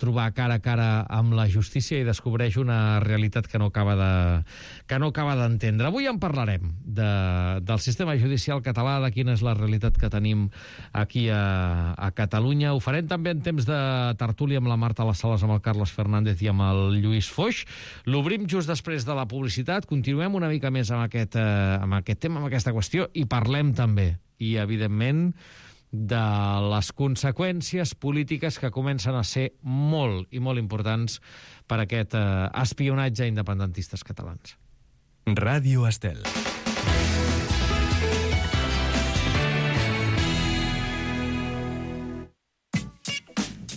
trobar cara a cara amb la justícia i descobreix una realitat que no acaba d'entendre. Avui en parlarem del sistema judicial català, de quina és la realitat que tenim aquí a Catalunya. Ho farem també en temps de tertúlia amb la Marta Les Sales, amb el Carles Fernández i amb el Lluís Foix. L'obrim just després de la publicitat. Continuem una mica més amb aquest tema, amb aquesta qüestió, i parlem també, i evidentment, de les conseqüències polítiques que comencen a ser molt i molt importants per aquest espionatge a independentistes catalans. Ràdio Estel.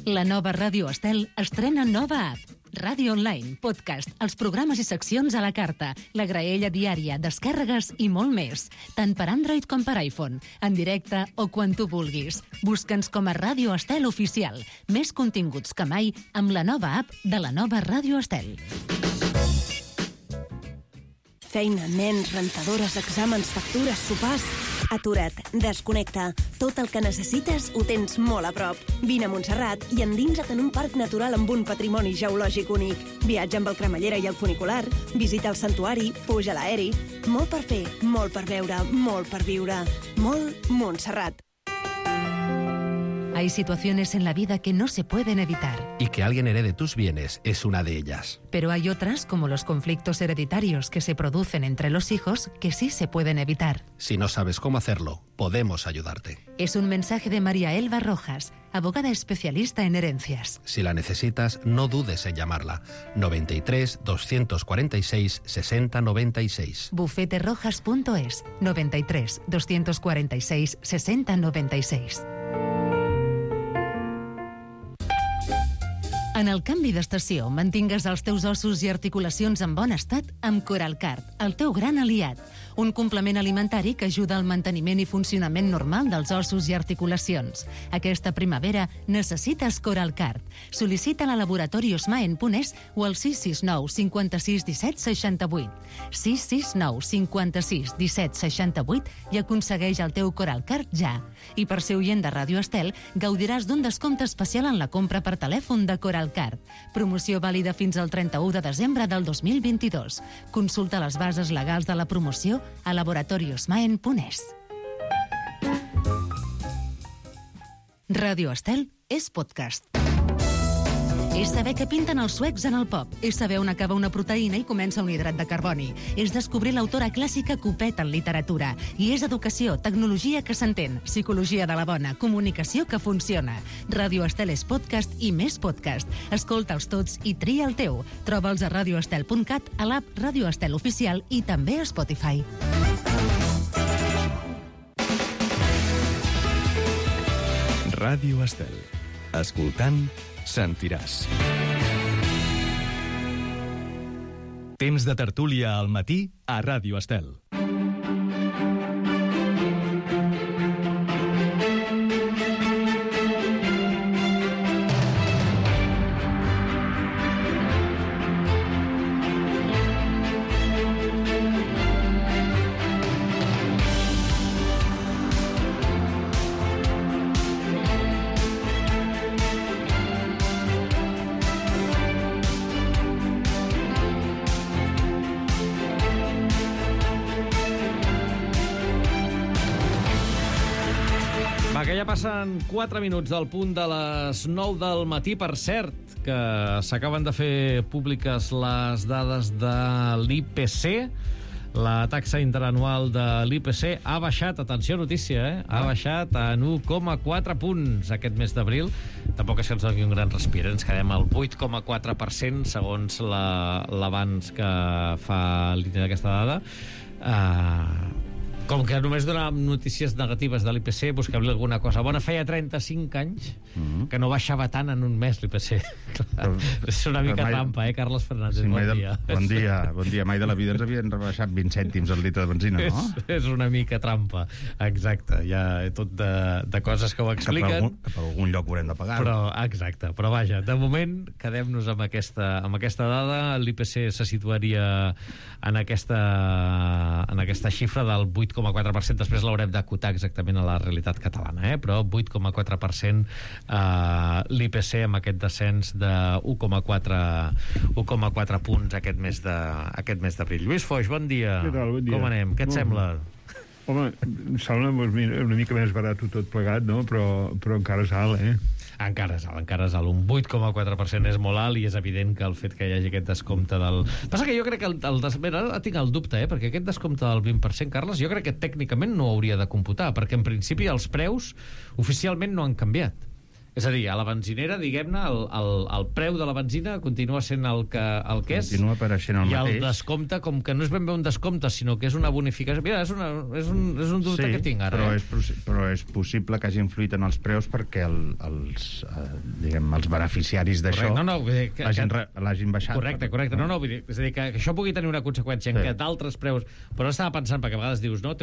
La nova Ràdio Estel estrena nova app. Ràdio online, podcast, els programes i seccions a la carta, la graella diària, descàrregues i molt més. Tant per Android com per iPhone, en directe o quan tu vulguis. Busca'ns com a Ràdio Estel Oficial. Més continguts que mai amb la nova app de la nova Ràdio Estel. Feina, nens, rentadores, exàmens, factures, sopars... Atura't, desconnecta. Tot el que necessites ho tens molt a prop. Vine a Montserrat i endinsa't en un parc natural amb un patrimoni geològic únic. Viatja amb el cremallera i el funicular, visita el santuari, puja a l'aeri. Molt per fer, molt per veure, molt per viure. Molt Montserrat. Hay situaciones en la vida que no se pueden evitar. Y que alguien herede tus bienes es una de ellas. Pero hay otras, como los conflictos hereditarios que se producen entre los hijos, que sí se pueden evitar. Si no sabes cómo hacerlo, podemos ayudarte. Es un mensaje de María Elba Rojas, abogada especialista en herencias. Si la necesitas, no dudes en llamarla. 93 246 60 96. Bufeterojas.es 93 246 60 96. En el canvi d'estació, mantingues els teus ossos i articulacions en bon estat amb Coralcard, el teu gran aliat. Un complement alimentari que ajuda al manteniment i funcionament normal dels ossos i articulacions. Aquesta primavera necessites Coralcard. Sol·licita-la a Laboratori Osmaen.es o al 669 56 17 68. 669 56 17 68 i aconsegueix el teu Coralcard ja. I per ser oient de Ràdio Estel, gaudiràs d'un descompte especial en la compra per telèfon de Coralcard. Promoció vàlida fins al 31 de desembre del 2022. Consulta les bases legals de la promoció a laboratoriosmaen.es. Ràdio Estel és podcast. És saber què pinten els suecs en el pop. És saber on acaba una proteïna i comença un hidrat de carboni. És descobrir l'autora clàssica que ho peta en literatura. I és educació, tecnologia que s'entén, psicologia de la bona, comunicació que funciona. Ràdio Estel és podcast i més podcast. Escolta'ls tots i tria el teu. Troba'ls a radioestel.cat, a l'app Ràdio Estel Oficial i també a Spotify. Ràdio Estel. Escoltant, sentiràs. Temps de tertúlia al matí a Ràdio Estel. Que ja passen 4 minuts del punt de les 9 del matí. Per cert, que s'acaben de fer públiques les dades de l'IPC. La taxa interanual de l'IPC ha baixat, atenció notícia, ha baixat en 1,4 punts aquest mes d'abril. Tampoc és que ens doni un gran respir, ens quedem al 8,4% segons l'avanç que fa l'INE d'aquesta dada. Com que només donàvem notícies negatives de l'IPC, busquem-li alguna cosa bona. Feia 35 anys que no baixava tant en un mes l'IPC. És una mica trampa, Carles Fernández? Sí, bon dia. Bon dia. Mai de la vida ens havien rebaixat 20 cèntims el litre de benzina, no? És una mica trampa, exacte. Hi ha tot de coses que ho expliquen. Que per algun lloc ho haurem de pagar. Exacte, però vaja, de moment quedem-nos amb aquesta dada. L'IPC se situaria en aquesta xifra del 8,4%. 8,4%, després l'haurem d'acotar exactament a la realitat catalana, però 8,4% l'IPC amb aquest descens de 1,4 punts aquest mes d'abril. Lluís Foix, bon dia. Què tal? Bon dia. Com anem? Què et sembla? Home, sembla una mica més barat tot plegat, no? Però encara és alt, Encara és alt. Un 8,4% és molt alt i és evident que el fet que hi hagi aquest descompte del... Passa que jo crec que ara tinc el dubte, perquè aquest descompte del 20%, Carles, jo crec que tècnicament no hauria de computar, perquè en principi els preus oficialment no han canviat. És a dir, a la benzinera, diguem-ne, el preu de la benzina continua sent el que és. Continua apareixent el mateix. I el descompte, com que no és ben bé un descompte, sinó que és una bonificació... Mira, és un dubte que tinc ara. Però és possible que hagi influït en els preus perquè els beneficiaris d'això l'hagin baixat. Correcte. No, vull dir, és a dir, que això pugui tenir una conseqüència en què d'altres preus... Però estava pensant, perquè a vegades dius, no,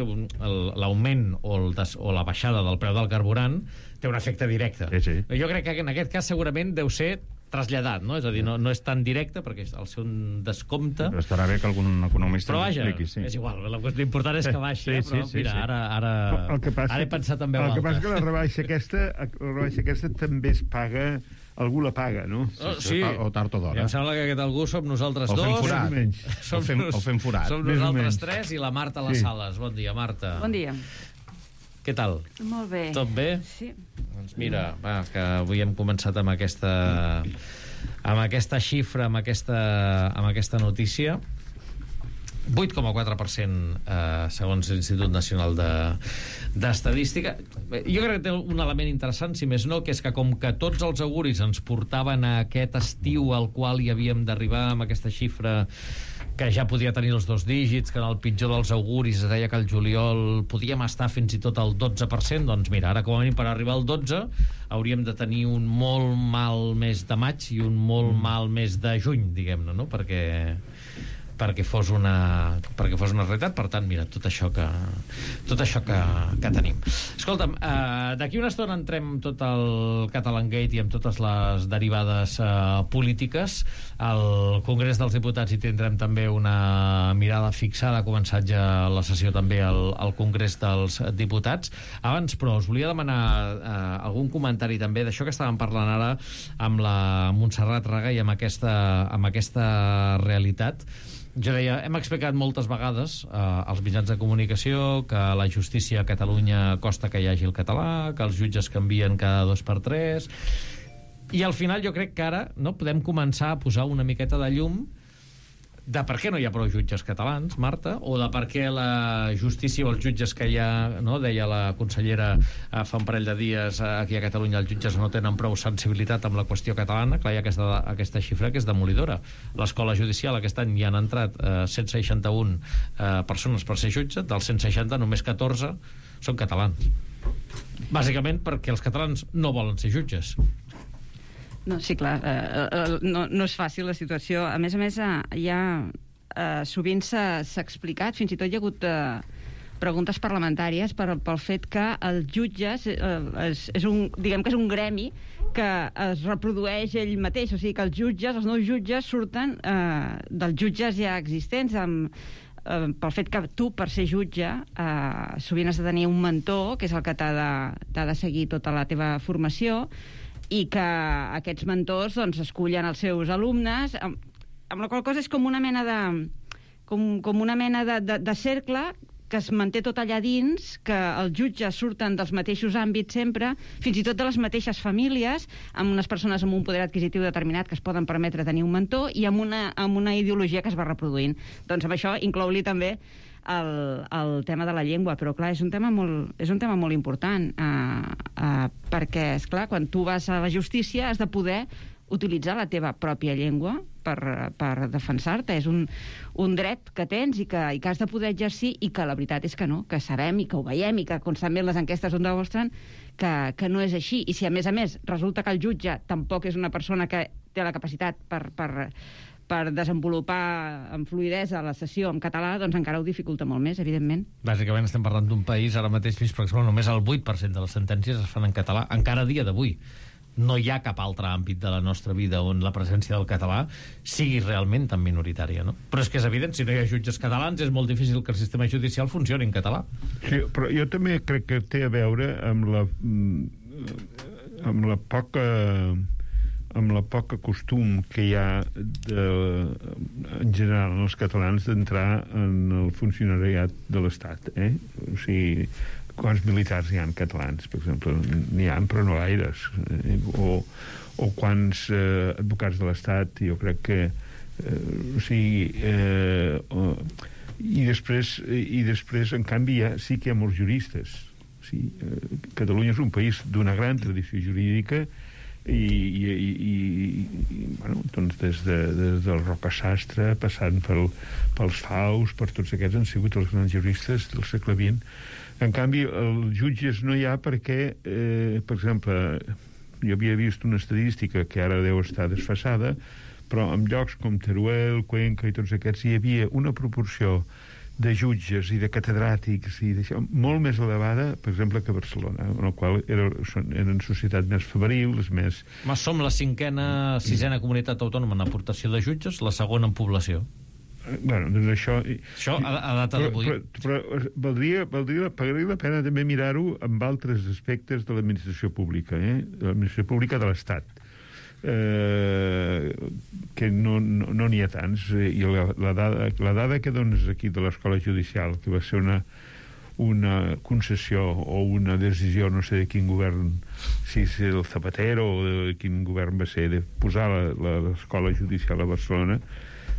l'augment o la baixada del preu del carburant té un efecte directe. Sí. Jo crec que en aquest cas segurament deu ser traslladat, no? És a dir, no és tan directe perquè al ser un descompte... Però estarà bé que algun economista l'expliqui. Però vaja, és igual, l'important és que baixi, però mira, ara he pensat en veu alta. El que passa que la rebaixa aquesta també es paga... Algú la paga, no? Sí. O tard o d'hora. Em sembla que aquest algú som nosaltres dos. O fem forat. Som nosaltres tres i la Marta a les sales. Bon dia, Marta. Bon dia. Què tal? Molt bé. Tot bé? Sí. Doncs mira, que avui hem començat amb aquesta xifra, amb aquesta notícia. 8,4% segons l'Institut Nacional d'Estadística. Jo crec que té un element interessant, si més no, que és que com que tots els auguris ens portaven a aquest estiu al qual hi havíem d'arribar amb aquesta xifra que ja podia tenir els 2 dígits, que en el pitjor dels auguris es deia que al juliol podíem estar fins i tot al 12%, doncs mira, ara com a mínim per arribar al 12 hauríem de tenir un molt mal mes de maig i un molt mal mes de juny, diguem-ne, no? Perquè fos una realitat. Per tant, mira, tot això que tenim. Escolta'm, d'aquí una estona entrem tot el Catalangate i amb totes les derivades polítiques. Al Congrés dels Diputats hi tindrem també una mirada fixada. Ha començat ja la sessió també al Congrés dels Diputats. Abans, però, us volia demanar algun comentari també d'això que estàvem parlant ara amb la Montserrat Raga i amb aquesta realitat. Jo deia, hem explicat moltes vegades als mitjans de comunicació que la justícia a Catalunya costa que hi hagi el català, que els jutges canvien cada 2 per 3, i al final jo crec que ara podem començar a posar una miqueta de llum de per què no hi ha prou jutges catalans, Marta, o de per què la justícia o els jutges que hi ha, no? Deia la consellera fa un parell de dies aquí a Catalunya, els jutges no tenen prou sensibilitat amb la qüestió catalana. Clar, hi ha aquesta xifra que és demolidora. L'escola judicial aquest any hi han entrat 161 persones per ser jutge, dels 160 només 14 són catalans. Bàsicament perquè els catalans no volen ser jutges. No, sí, clar, no és fàcil la situació. A més, sovint s'ha explicat, fins i tot hi ha hagut preguntes parlamentàries pel fet que els jutges diguem que és un gremi que es reprodueix ell mateix, o sigui que els nous jutges surten dels jutges ja existents, pel fet que tu, per ser jutge, sovint has de tenir un mentor, que és el que t'ha de seguir tota la teva formació, i que aquests mentors escullen els seus alumnes, amb la qual cosa és com una mena de cercle que es manté tot allà dins, que els jutges surten dels mateixos àmbits sempre, fins i tot de les mateixes famílies, amb unes persones amb un poder adquisitiu determinat que es poden permetre tenir un mentor, i amb una ideologia que es va reproduint. Doncs amb això inclou-li també el tema de la llengua, però clar, és un tema molt important, perquè, esclar, quan tu vas a la justícia has de poder utilitzar la teva pròpia llengua per defensar-te. És un dret que tens i que has de poder exercir, i que la veritat és que no, que sabem i que ho veiem i que constantment les enquestes ho demostren que no és així. I si a més resulta que el jutge tampoc és una persona que té la capacitat per desenvolupar amb fluïdesa la sessió en català, doncs encara ho dificulta molt més, evidentment. Bàsicament estem parlant d'un país ara mateix, per exemple, només el 8% de les sentències es fan en català, encara a dia d'avui. no hi ha cap altre àmbit de la nostra vida on la presència del català sigui realment tan minoritària, no? Però és que és evident, si no hi ha jutges catalans és molt difícil que el sistema judicial funcioni en català. Sí, però jo també crec que té a veure amb la poca costum que hi ha en general en els catalans d'entrar en el funcionariat de l'Estat, O sigui, quants militars hi ha catalans, per exemple? N'hi ha, però no gaires. O quants advocats de l'Estat, jo crec que... I després, en canvi, sí que hi ha molts juristes. Catalunya és un país d'una gran tradició jurídica doncs des del Roca Sastre, passant pels Faus, per tots aquests han sigut els grans juristes del segle XX. En canvi, els jutges no hi ha perquè, per exemple, jo havia vist una estadística que ara deu estar desfasada, però en llocs com Teruel, Cuenca i tots aquests hi havia una proporció de jutges i de catedràtics i d'això molt més elevada, per exemple, que a Barcelona, en el qual eren societats més febrils, més... Som la sisena comunitat autònoma en aportació de jutges, la segona en població. Bueno, doncs això a data d'avui. Però valdria la pena també mirar-ho amb altres aspectes de l'administració pública, de l'administració pública de l'Estat, que no n'hi ha tants. I la dada que dones aquí de l'Escola Judicial, que va ser una concessió o una decisió, no sé de quin govern, si és el Zapatero o de quin govern va ser, de posar l'Escola Judicial a Barcelona,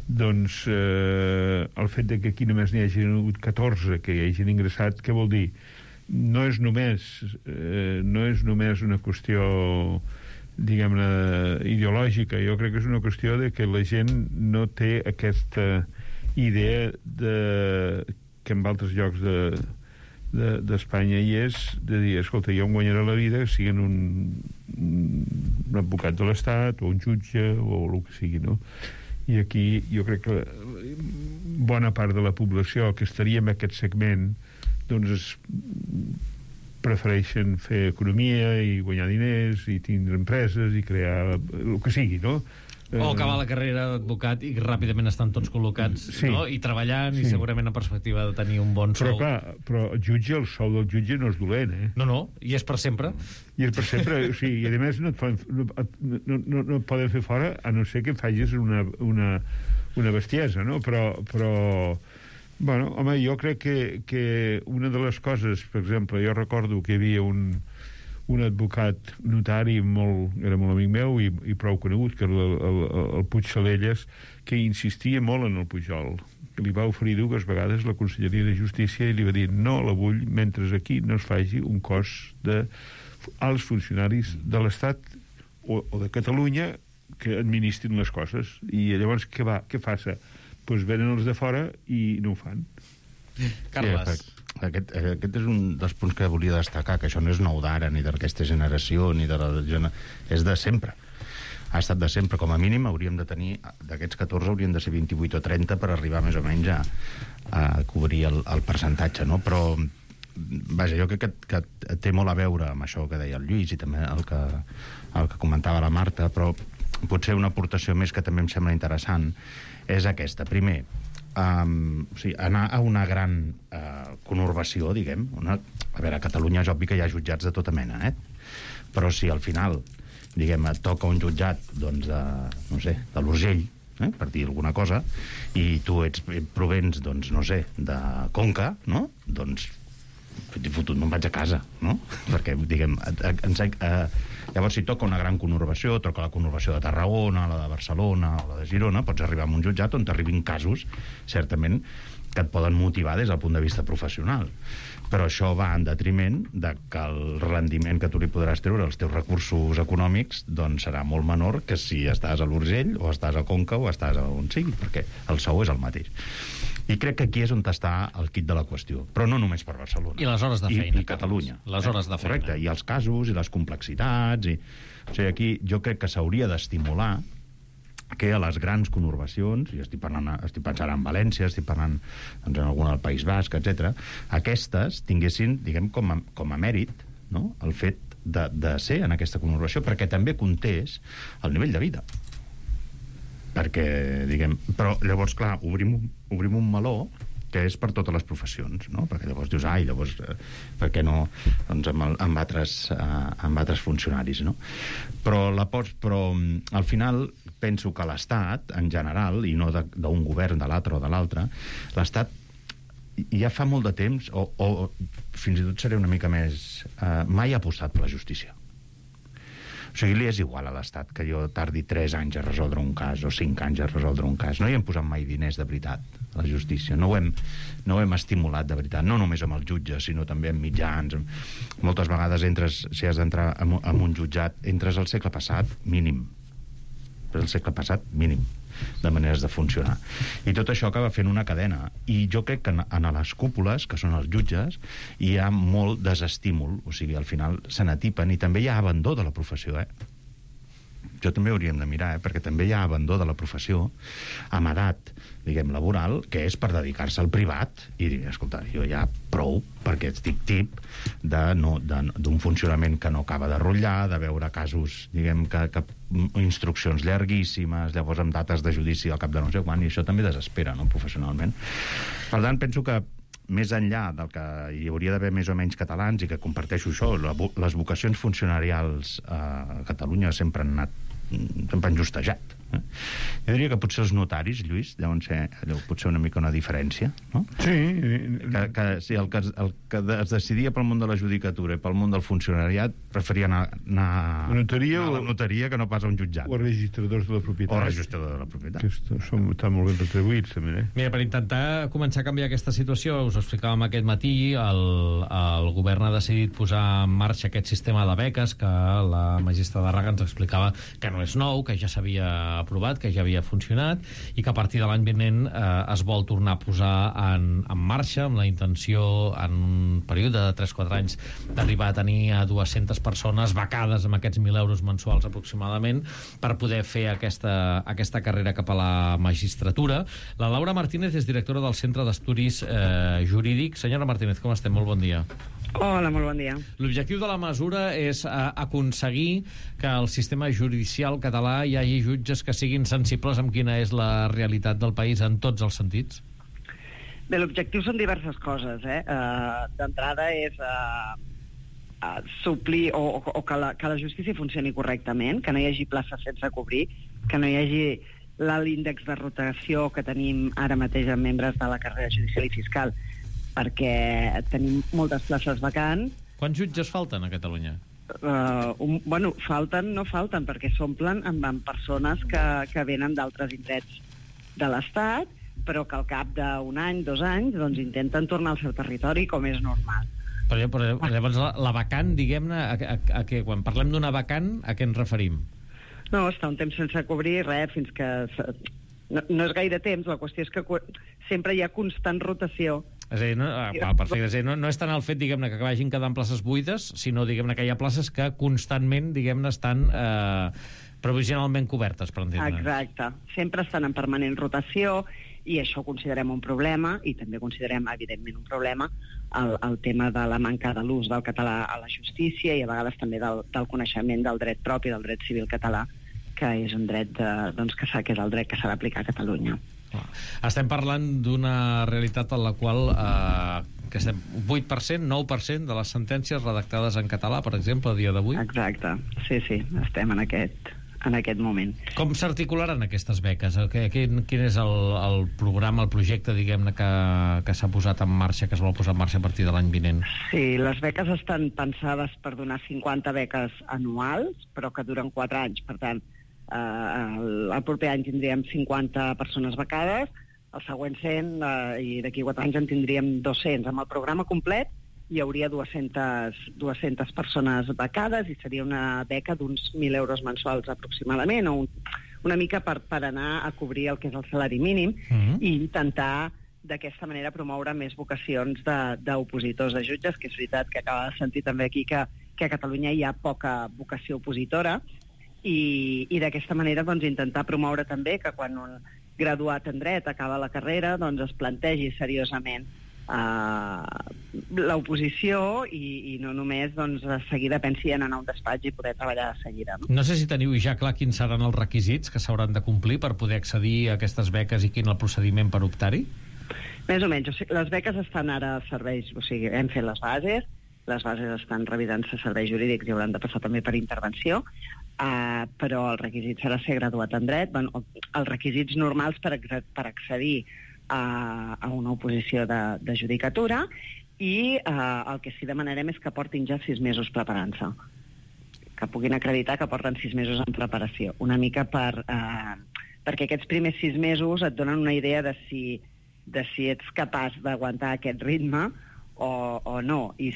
doncs el fet de que aquí només n'hi hagi hagut 14 que hi hagin ingressat, què vol dir? No és només una qüestió, diguem-ne, ideològica. Jo crec que és una qüestió de que la gent no té aquesta idea que en altres llocs d'Espanya hi és, de dir, escolta, jo em guanyaré la vida siguent un advocat de l'Estat o un jutge o el que sigui, no? I aquí jo crec que bona part de la població que estaria en aquest segment doncs prefereixen fer economia i guanyar diners i tindre empreses i crear el que sigui, no? O acabar la carrera d'advocat i ràpidament estan tots col·locats, no? I treballant, i segurament en perspectiva de tenir un bon sou. Però el sou del jutge no és dolent, No, i és per sempre. I és per sempre, o sigui, i a més no et poden fer fora, a no ser que facis una bestiesa, no? Però bueno, home, jo crec que una de les coses, per exemple, jo recordo que hi havia un advocat notari era molt amic meu i prou conegut, que era el Puig Salelles, que insistia molt en el Pujol, que li va oferir 2 vegades la Conselleria de Justícia i li va dir no la vull mentre aquí no es faci un cos d'alts funcionaris de l'Estat o de Catalunya que administrin les coses. I llavors què passa? Doncs venen els de fora i no ho fan. Carles. Aquest és un dels punts que volia destacar, que això no és nou d'ara, ni d'aquesta generació, ni de és de sempre. Ha estat de sempre. Com a mínim hauríem de tenir, d'aquests 14 haurien de ser 28 o 30 per arribar més o menys a cobrir el percentatge, no? Però, vaja, jo crec que té molt a veure amb això que deia el Lluís i també el que comentava la Marta, però potser una aportació més que també em sembla interessant és aquesta. Primer, anar a una gran conurbació, diguem. A veure, a Catalunya és obvi que hi ha jutjats de tota mena, però si al final, diguem, et toca un jutjat, doncs, no sé, de l'Urgell, per dir alguna cosa, i tu provens, doncs, no sé, de Conca, no? Doncs, fotut, me'n vaig a casa, no? Perquè, diguem, llavors, si toca una gran conurbació, toca la conurbació de Tarragona, la de Barcelona o la de Girona, pots arribar a un jutjat on t'arribin casos, certament, que et poden motivar des del punt de vista professional. Però això va en detriment de que el rendiment que tu li podràs treure als teus recursos econòmics doncs serà molt menor que si estàs a l'Urgell o estàs a Conca o estàs a on sigui, perquè el sou és el mateix. I crec que aquí és on està el quid de la qüestió, però no només per Barcelona. I les hores de feina. I Catalunya. Les hores de feina. Correcte, i els casos, i les complexitats, o sigui, aquí jo crec que s'hauria d'estimular que a les grans conurbacions, i estic pensant en València, estic parlant doncs, en alguna del País Basc, etc., aquestes tinguessin, diguem, com a mèrit, no?, el fet de ser en aquesta conurbació, perquè també comptés el nivell de vida. Perquè, diguem... Però llavors, clar, obrim un meló que és per totes les professions, no? Perquè llavors dius, llavors, per què no doncs, amb altres funcionaris, no? Però al final penso que l'Estat, en general, i no d'un govern de l'altre o de l'altre, l'Estat ja fa molt de temps, o fins i tot seré una mica més... mai ha apostat per la justícia. O sigui, li és igual a l'Estat que jo tardi 3 anys a resoldre un cas o 5 anys a resoldre un cas. No hi hem posat mai diners de veritat a la justícia. No ho hem estimulat de veritat. No només amb els jutges, sinó també amb mitjans. Moltes vegades si has d'entrar en un jutjat, entres al segle passat, mínim. El segle passat, mínim, de maneres de funcionar. I tot això acaba fent una cadena. I jo crec que en les cúpules, que són els jutges, hi ha molt desestímul. O sigui, al final se n'atipen i també hi ha abandó de la professió, Jo també hauríem de mirar, perquè també hi ha abandó de la professió amb edat, diguem, laboral, que és per dedicar-se al privat i dir, escolta, jo ja prou, perquè estic tip d'un funcionament que no acaba de rotllar, de veure casos, diguem, que instruccions llarguíssimes, llavors amb dates de judici al cap de no sé quan, i això també desespera, no?, professionalment. Per tant, penso que més enllà del que hi hauria d'haver més o menys catalans, i que comparteixo això, les vocacions funcionarials a Catalunya sempre han justejat. Jo diria que potser els notaris, Lluís, deuen ser potser una mica una diferència, no? Sí. Sí, el que es decidia pel món de la judicatura i pel món del funcionariat preferia anar a la notaria que no pas a un jutjat. O registradors de la propietat. O registradors de la propietat. Que estan molt ben retribuïts, també, Mira, per intentar començar a canviar aquesta situació, us ho explicàvem aquest matí, el govern ha decidit posar en marxa aquest sistema de beques que la magistrada Raga ens explicava que no és nou, que ja s'havia aprovat, que ja havia funcionat i que a partir de l'any vinent es vol tornar a posar en marxa amb la intenció en un període de 3-4 anys d'arribar a tenir a 200 persones becades amb aquests 1.000 euros mensuals aproximadament per poder fer aquesta carrera cap a la magistratura. La Laura Martínez és directora del Centre d'Estudis Jurídics. Senyora Martínez, com estem? Molt bon dia. Hola, molt bon dia. L'objectiu de la mesura és aconseguir que el sistema judicial català hi hagi jutges que siguin sensibles amb quina és la realitat del país en tots els sentits? Bé, l'objectiu són diverses coses. D'entrada és suplir o que la justícia funcioni correctament, que no hi hagi places sense cobrir, que no hi hagi l'índex de rotació que tenim ara mateix en membres de la carrera judicial i fiscal, perquè tenim moltes places vacants. Quants jutges falten a Catalunya? No falten, perquè s'omplen amb persones que venen d'altres indrets de l'Estat, però que al cap d'un any, 2 anys, doncs intenten tornar al seu territori, com és normal. Però llavors la vacant, diguem-ne, quan parlem d'una vacant, a què ens referim? No, està un temps sense cobrir, fins que... No és gaire temps, la qüestió és que sempre hi ha constant rotació. És a dir, perfecte. És a dir, no és tant el fet, diguem-ne, que vagin quedant places buides, sinó, diguem-ne, que hi ha places que constantment, diguem-ne, estan provisionalment cobertes, per entendre'ns. Exacte. Sempre estan en permanent rotació i això ho considerem un problema i també considerem, evidentment, un problema el tema de la manca de l'ús del català a la justícia i a vegades també del coneixement del dret propi, del dret civil català, que és un dret que és el dret que s'ha d'aplicar a Catalunya. Estem parlant d'una realitat en la qual que estem 8%, 9% de les sentències redactades en català, per exemple, a dia d'avui? Exacte, sí, estem en aquest moment. Com s'articularan aquestes beques? Quin és el programa, el projecte, diguem-ne, que s'ha posat en marxa, que es vol posar en marxa a partir de l'any vinent? Sí, les beques estan pensades per donar 50 beques anuals, però que duren 4 anys, per tant, el proper any tindríem 50 persones becades, el següent 100 i d'aquí 4 anys en tindríem 200. Amb el programa complet hi hauria 200 persones becades i seria una beca d'uns 1.000 euros mensuals aproximadament, o una mica per anar a cobrir el que és el salari mínim i intentar d'aquesta manera promoure més vocacions d'opositors de jutges, que és veritat que acaba de sentir també aquí que a Catalunya hi ha poca vocació opositora, i d'aquesta manera doncs, intentar promoure també que quan un graduat en dret acaba la carrera doncs, es plantegi seriosament l'oposició i no només doncs, de seguida pensi en anar a un despatx i poder treballar de seguida. No sé si teniu ja clar quins seran els requisits que s'hauran de complir per poder accedir a aquestes beques i quin el procediment per optar-hi? Més o menys. O sigui, les beques estan ara a serveis... O sigui, hem fet les bases estan revisant-se a serveis jurídics i hauran de passar també per intervenció, però el requisit serà ser graduat en dret. Bueno, els requisits normals per accedir a una oposició de judicatura i el que sí demanarem és que portin ja 6 mesos preparant-se, que puguin acreditar que porten 6 mesos en preparació, una mica perquè aquests primers 6 mesos et donen una idea de si ets capaç d'aguantar aquest ritme o no, i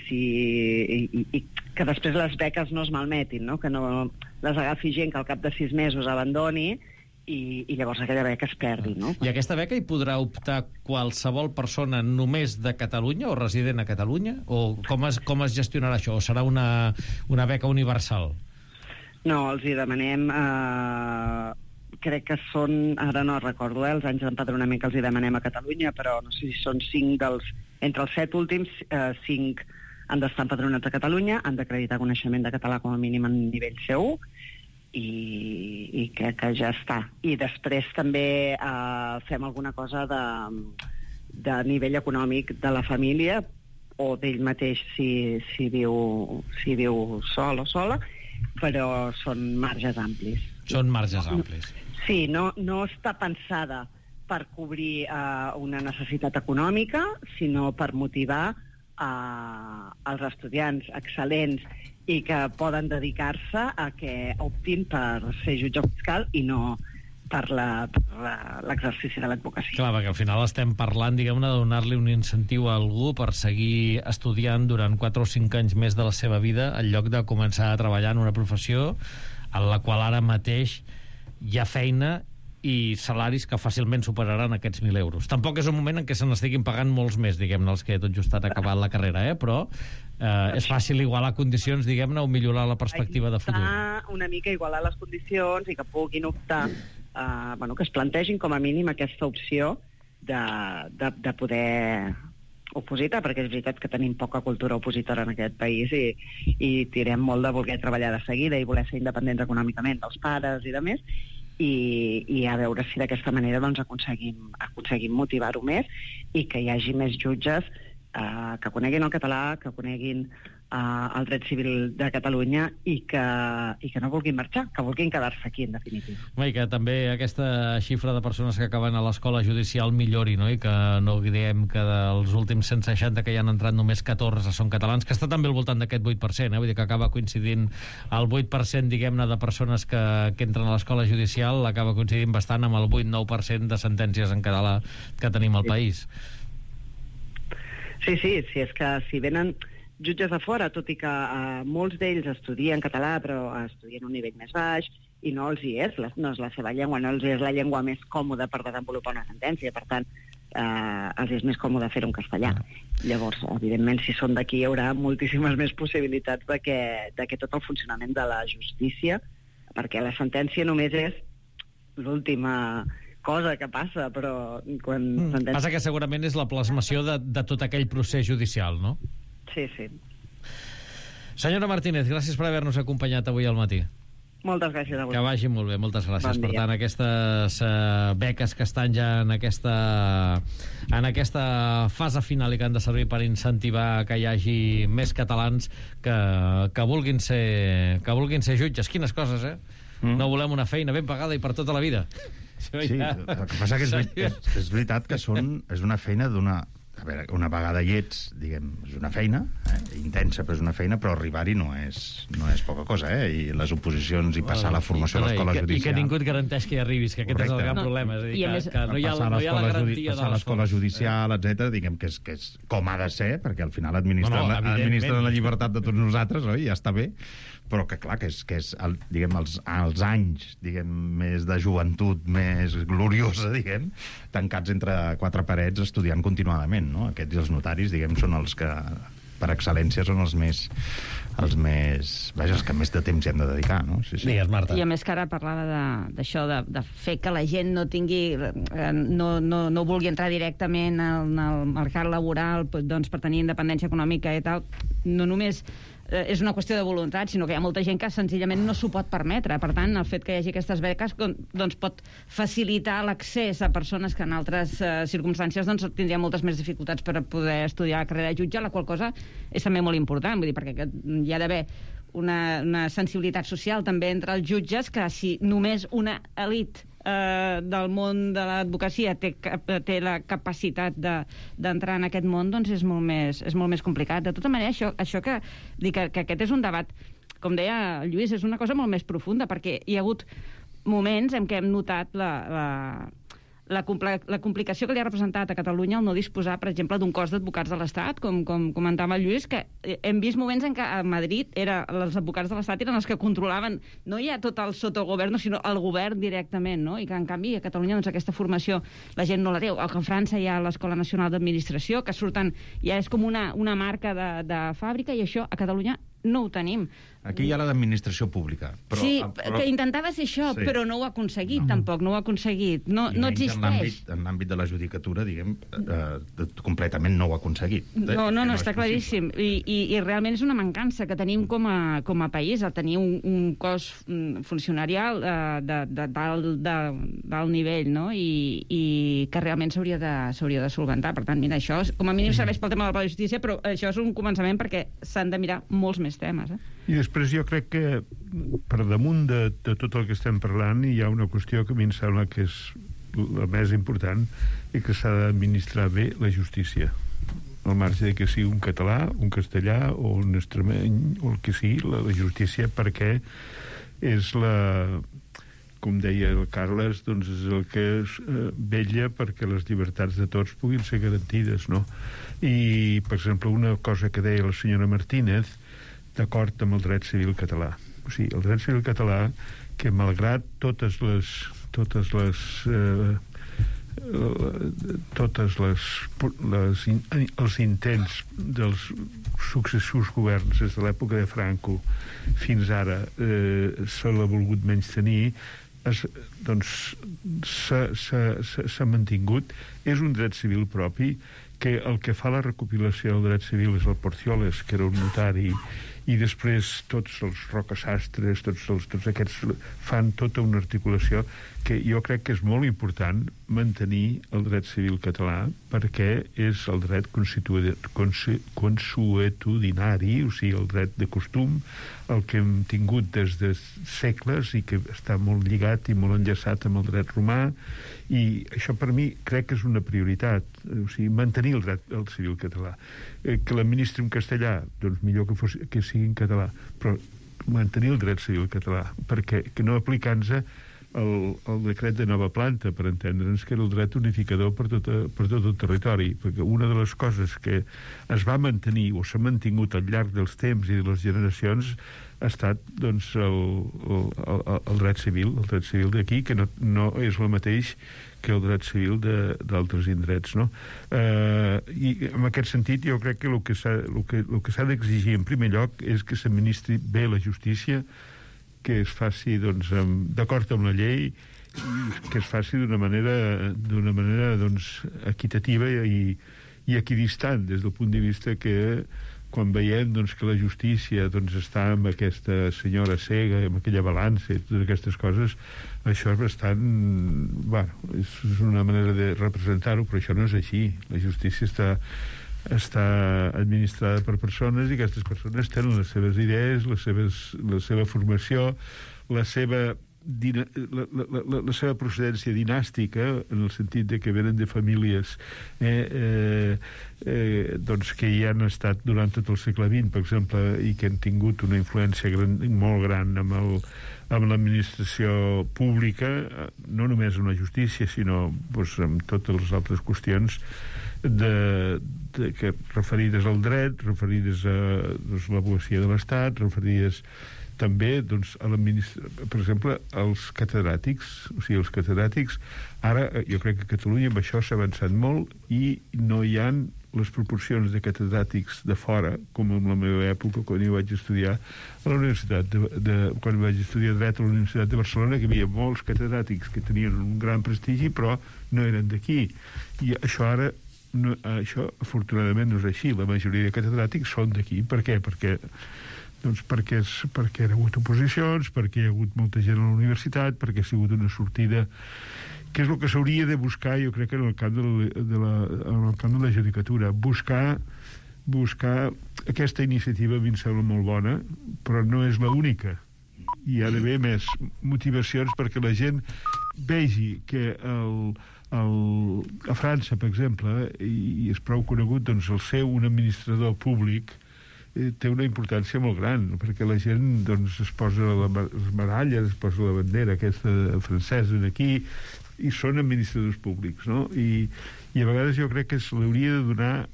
que després les beques no es malmetin, no? Que no les agafi gent que al cap de 6 mesos abandoni i llavors aquella beca es perdi, no? I aquesta beca hi podrà optar qualsevol persona només de Catalunya o resident a Catalunya? O com es gestionarà això? O serà una beca universal? No, els hi demanem... crec que són, ara no recordo, els anys d'empadronament que els hi demanem a Catalunya, però no sé si són 5 dels... Entre els 7 últims, 5 han d'estar empadronats a Catalunya, han d'acreditar coneixement de català com a mínim en nivell C1, i crec que ja està. I després també fem alguna cosa de nivell econòmic de la família o d'ell mateix si viu sol o sola, però són marges amplis. Són marges amplis. Sí, no està pensada per cobrir una necessitat econòmica, sinó per motivar els estudiants excel·lents i que poden dedicar-se a que optin per ser jutge fiscal i no per l'exercici de l'advocacia. Clar, perquè al final estem parlant, diguem-ne, de donar-li un incentiu a algú per seguir estudiant durant 4 o 5 anys més de la seva vida, en lloc de començar a treballar en una professió en la qual ara mateix hi ha feina i salaris que fàcilment superaran aquests 1.000 euros. Tampoc és un moment en què se n'estiguin pagant molts més, diguem-ne, els que tot just han acabat la carrera, però és fàcil igualar condicions, diguem-ne, o millorar la perspectiva de futur. Una mica igualar les condicions i que puguin optar, que es plantegin com a mínim aquesta opció de poder opositar, perquè és veritat que tenim poca cultura opositora en aquest país i tirem molt de voler treballar de seguida i voler ser independents econòmicament dels pares i de més, i a veure si d'aquesta manera doncs, aconseguim motivar-ho més i que hi hagi més jutges que coneguin el català, que coneguin el dret civil de Catalunya i que no vulguin marxar, que vulguin quedar-se aquí, en definitiva. I que també aquesta xifra de persones que acaben a l'escola judicial millori, no? I que no diguem que dels últims 160 que hi han entrat només 14 són catalans, que està també al voltant d'aquest 8%, vull dir que acaba coincidint el 8%, diguem-ne, de persones que entren a l'escola judicial, acaba coincidint bastant amb el 8-9% de sentències en català que tenim al país. Sí, és que si venen jutges de fora, tot i que molts d'ells estudien català, però estudien un nivell més baix, i no els hi és, no és la seva llengua, no els hi és la llengua més còmoda per desenvolupar una sentència, per tant, els és més còmode fer-ho en castellà. Llavors, evidentment, si són d'aquí, hi haurà moltíssimes més possibilitats de que tot el funcionament de la justícia, perquè la sentència només és l'última cosa que passa, però quan... Passa que segurament és la plasmació de tot aquell procés judicial, no? Sí. Senyora Martínez, gràcies per haver-nos acompanyat avui al matí. Moltes gràcies a vosaltres. Que vagi molt bé, moltes gràcies. Bon dia. Per tant, aquestes beques que estan ja en aquesta fase final i que han de servir per incentivar que hi hagi més catalans que vulguin ser jutges. Quines coses, No volem una feina ben pagada i per tota la vida. Sí, el que passa que és veritat que és una feina d'una... A veure, una vegada hi ets, diguem, és una feina, intensa, però és una feina, però arribar-hi no és poca cosa, I les oposicions i passar la formació a l'escola judicial... I que ningú et garanteix que hi arribis, que aquest és el gran problema. És a dir, que no hi ha la garantia de l'escola judicial, etc. Diguem que és com ha de ser, perquè al final administren la llibertat de tots nosaltres, oi? Ja està bé, però que clar, que és diguem, els anys, diguem, més de joventut, més gloriosa, diguem, tancats entre 4 parets estudiant continuadament, no? Aquests i els notaris, diguem, són els que per excel·lència són els que més de temps hi hem de dedicar, no? Sí. Digues, Marta. I a més que ara parlava d'això, de fer que la gent no tingui, no vulgui entrar directament al mercat laboral, doncs per tenir independència econòmica i tal, no només és una qüestió de voluntat, sinó que hi ha molta gent que senzillament no s'ho pot permetre. Per tant, el fet que hi hagi aquestes beques doncs pot facilitar l'accés a persones que en altres circumstàncies doncs tindrien moltes més dificultats per poder estudiar la carrera de jutge, la qual cosa és també molt important, vull dir, perquè hi ha d'haver una sensibilitat social també entre els jutges, que si només una elit del món de l'advocacia té la capacitat d'entrar en aquest món, doncs és molt més complicat. De tota manera, això que aquest és un debat, com deia el Lluís, és una cosa molt més profunda, perquè hi ha hagut moments en què hem notat la complicació que li ha representat a Catalunya el no disposar, per exemple, d'un cos d'advocats de l'Estat, com comentava el Lluís, que hem vist moments en què a Madrid els advocats de l'Estat eren els que controlaven no ja tot el sotogoverno, sinó el govern directament, no? I que, en canvi, a Catalunya doncs, aquesta formació la gent no la té. O que a França hi ha l'Escola Nacional d'Administració, que surten, ja és com una marca de fàbrica, i això a Catalunya no ho tenim. Aquí hi ha la d'administració pública. Però, que intentava ser això, sí, però no ho ha aconseguit, tampoc, no ho ha aconseguit. No existeix. En l'àmbit de la judicatura, diguem, completament no ho ha aconseguit. No, està claríssim. I realment és una mancança que tenim com a país, el tenir un cos funcionarial d'alt nivell, no? I que realment s'hauria de solventar. Per tant, mira, això com a mínim serveix pel tema de la justícia, però això és un començament perquè s'han de mirar molts més temes. I després jo crec que per damunt de tot el que estem parlant hi ha una qüestió que a mi em sembla que és la més important i que s'ha d'administrar bé la justícia, al marge de que sigui un català, un castellà o un extremeny o el que sigui, la justícia, perquè és com deia el Carles, doncs és el que vetlla perquè les llibertats de tots puguin ser garantides, no? I, per exemple, una cosa que deia la senyora Martínez, d'acord amb el dret civil català. O sigui, el dret civil català, que malgrat els intents dels successius governs des de l'època de Franco fins ara se l'ha volgut menystenir, s'ha mantingut. És un dret civil propi, que el que fa la recopilació del dret civil és el Porcioles, que era un notari, i després tots els Rocasastres, tots aquests fan tota una articulació que jo crec que és molt important mantenir el dret civil català, perquè és el dret consuetudinari, o sigui, el dret de costum, el que hem tingut des de segles i que està molt lligat i molt enllaçat amb el dret romà, i això per mi crec que és una prioritat, o sigui, mantenir el dret civil català. Que l'administri en castellà, doncs millor que sigui en català, però mantenir el dret civil català, perquè que no aplicant-se el decret de nova planta, per entendre'ns, que era el dret unificador per tot el territori, perquè una de les coses que es va mantenir o s'ha mantingut al llarg dels temps i de les generacions ha estat, doncs, el dret civil d'aquí, que no és el mateix que el dret civil d'altres indrets, no? I en aquest sentit jo crec que el que s'ha d'exigir en primer lloc és que s'administri bé la justícia, que es faci, doncs, d'acord amb la llei, i que es faci d'una manera doncs, equitativa i equidistant, des del punt de vista que quan veiem, doncs, que la justícia, doncs, està amb aquesta senyora cega, amb aquella balança i totes aquestes coses, això és bastant... Bueno, és una manera de representar-ho, però això no és així. La justícia està administrada per persones, i aquestes persones tenen les seves idees, la seva formació, la seva procedència dinàstica, en el sentit de que venen de famílies doncs que hi han estat durant tot el segle XX, per exemple, i que han tingut una influència molt gran amb l'administració pública, no només en la justícia, sinó doncs, en totes les altres qüestions que referides al dret, referides a doncs, l'advocacia de l'Estat, referides també, doncs, per exemple, als catedràtics. O sigui, els catedràtics, ara jo crec que a Catalunya amb això s'ha avançat molt i no hi ha les proporcions de catedràtics de fora, com en la meva època, quan jo vaig estudiar a la Universitat quan vaig estudiar dret a la Universitat de Barcelona, que hi havia molts catedràtics que tenien un gran prestigi, però no eren d'aquí. I això ara, això afortunadament no és així. La majoria de catedràtics són d'aquí. Per què? Perquè hi ha hagut oposicions, perquè hi ha hagut molta gent a la universitat, perquè ha sigut una sortida que és el que s'hauria de buscar, jo crec, en el camp de la judicatura. Buscar aquesta iniciativa a mi em sembla molt bona, però no és l'única. Hi ha d'haver més motivacions perquè la gent vegi que a França, per exemple, i és prou conegut, doncs el ser un administrador públic té una importància molt gran, perquè la gent doncs, es posa les medalles, es posa la bandera aquesta francesa aquí, i són administradors públics, no? I a vegades jo crec que se l'hauria de donar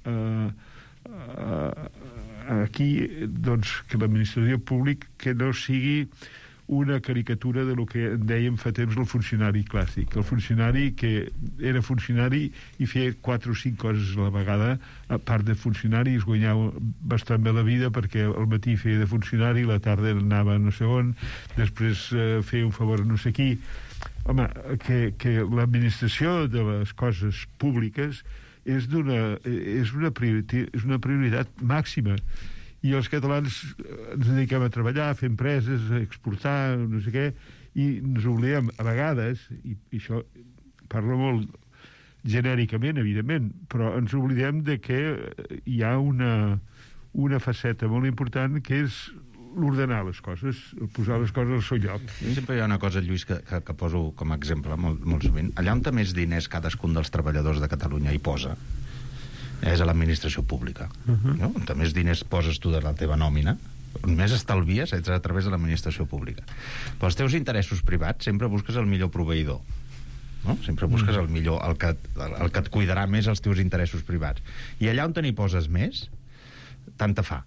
aquí, doncs, que l'administració públic que no sigui una caricatura de lo que en dèiem fa temps el funcionari clàssic. El funcionari que era funcionari i feia 4 o 5 coses a la vegada, a part de funcionari es guanyava bastant bé la vida perquè al matí feia de funcionari, a la tarda anava no sé on, després feia un favor a no sé qui. Home, que l'administració de les coses públiques és una prioritat màxima. I els catalans ens dediquem a treballar, a fer empreses, a exportar, no sé què, i ens oblidem a vegades, i això parlo molt genèricament, evidentment, però ens oblidem de que hi ha una faceta molt important que és l'ordenar les coses, posar les coses al seu lloc. Sempre hi ha una cosa, Lluís, que poso com a exemple molt sovint. Allà on té més diners cadascun dels treballadors de Catalunya hi posa és a l'administració pública. No? On més diners poses tu de la teva nòmina, on més estalvies és a través de l'administració pública. Però els teus interessos privats sempre busques el millor proveïdor. No? Sempre busques el millor, el que et cuidarà més els teus interessos privats. I allà on n'hi poses més, tant te fa.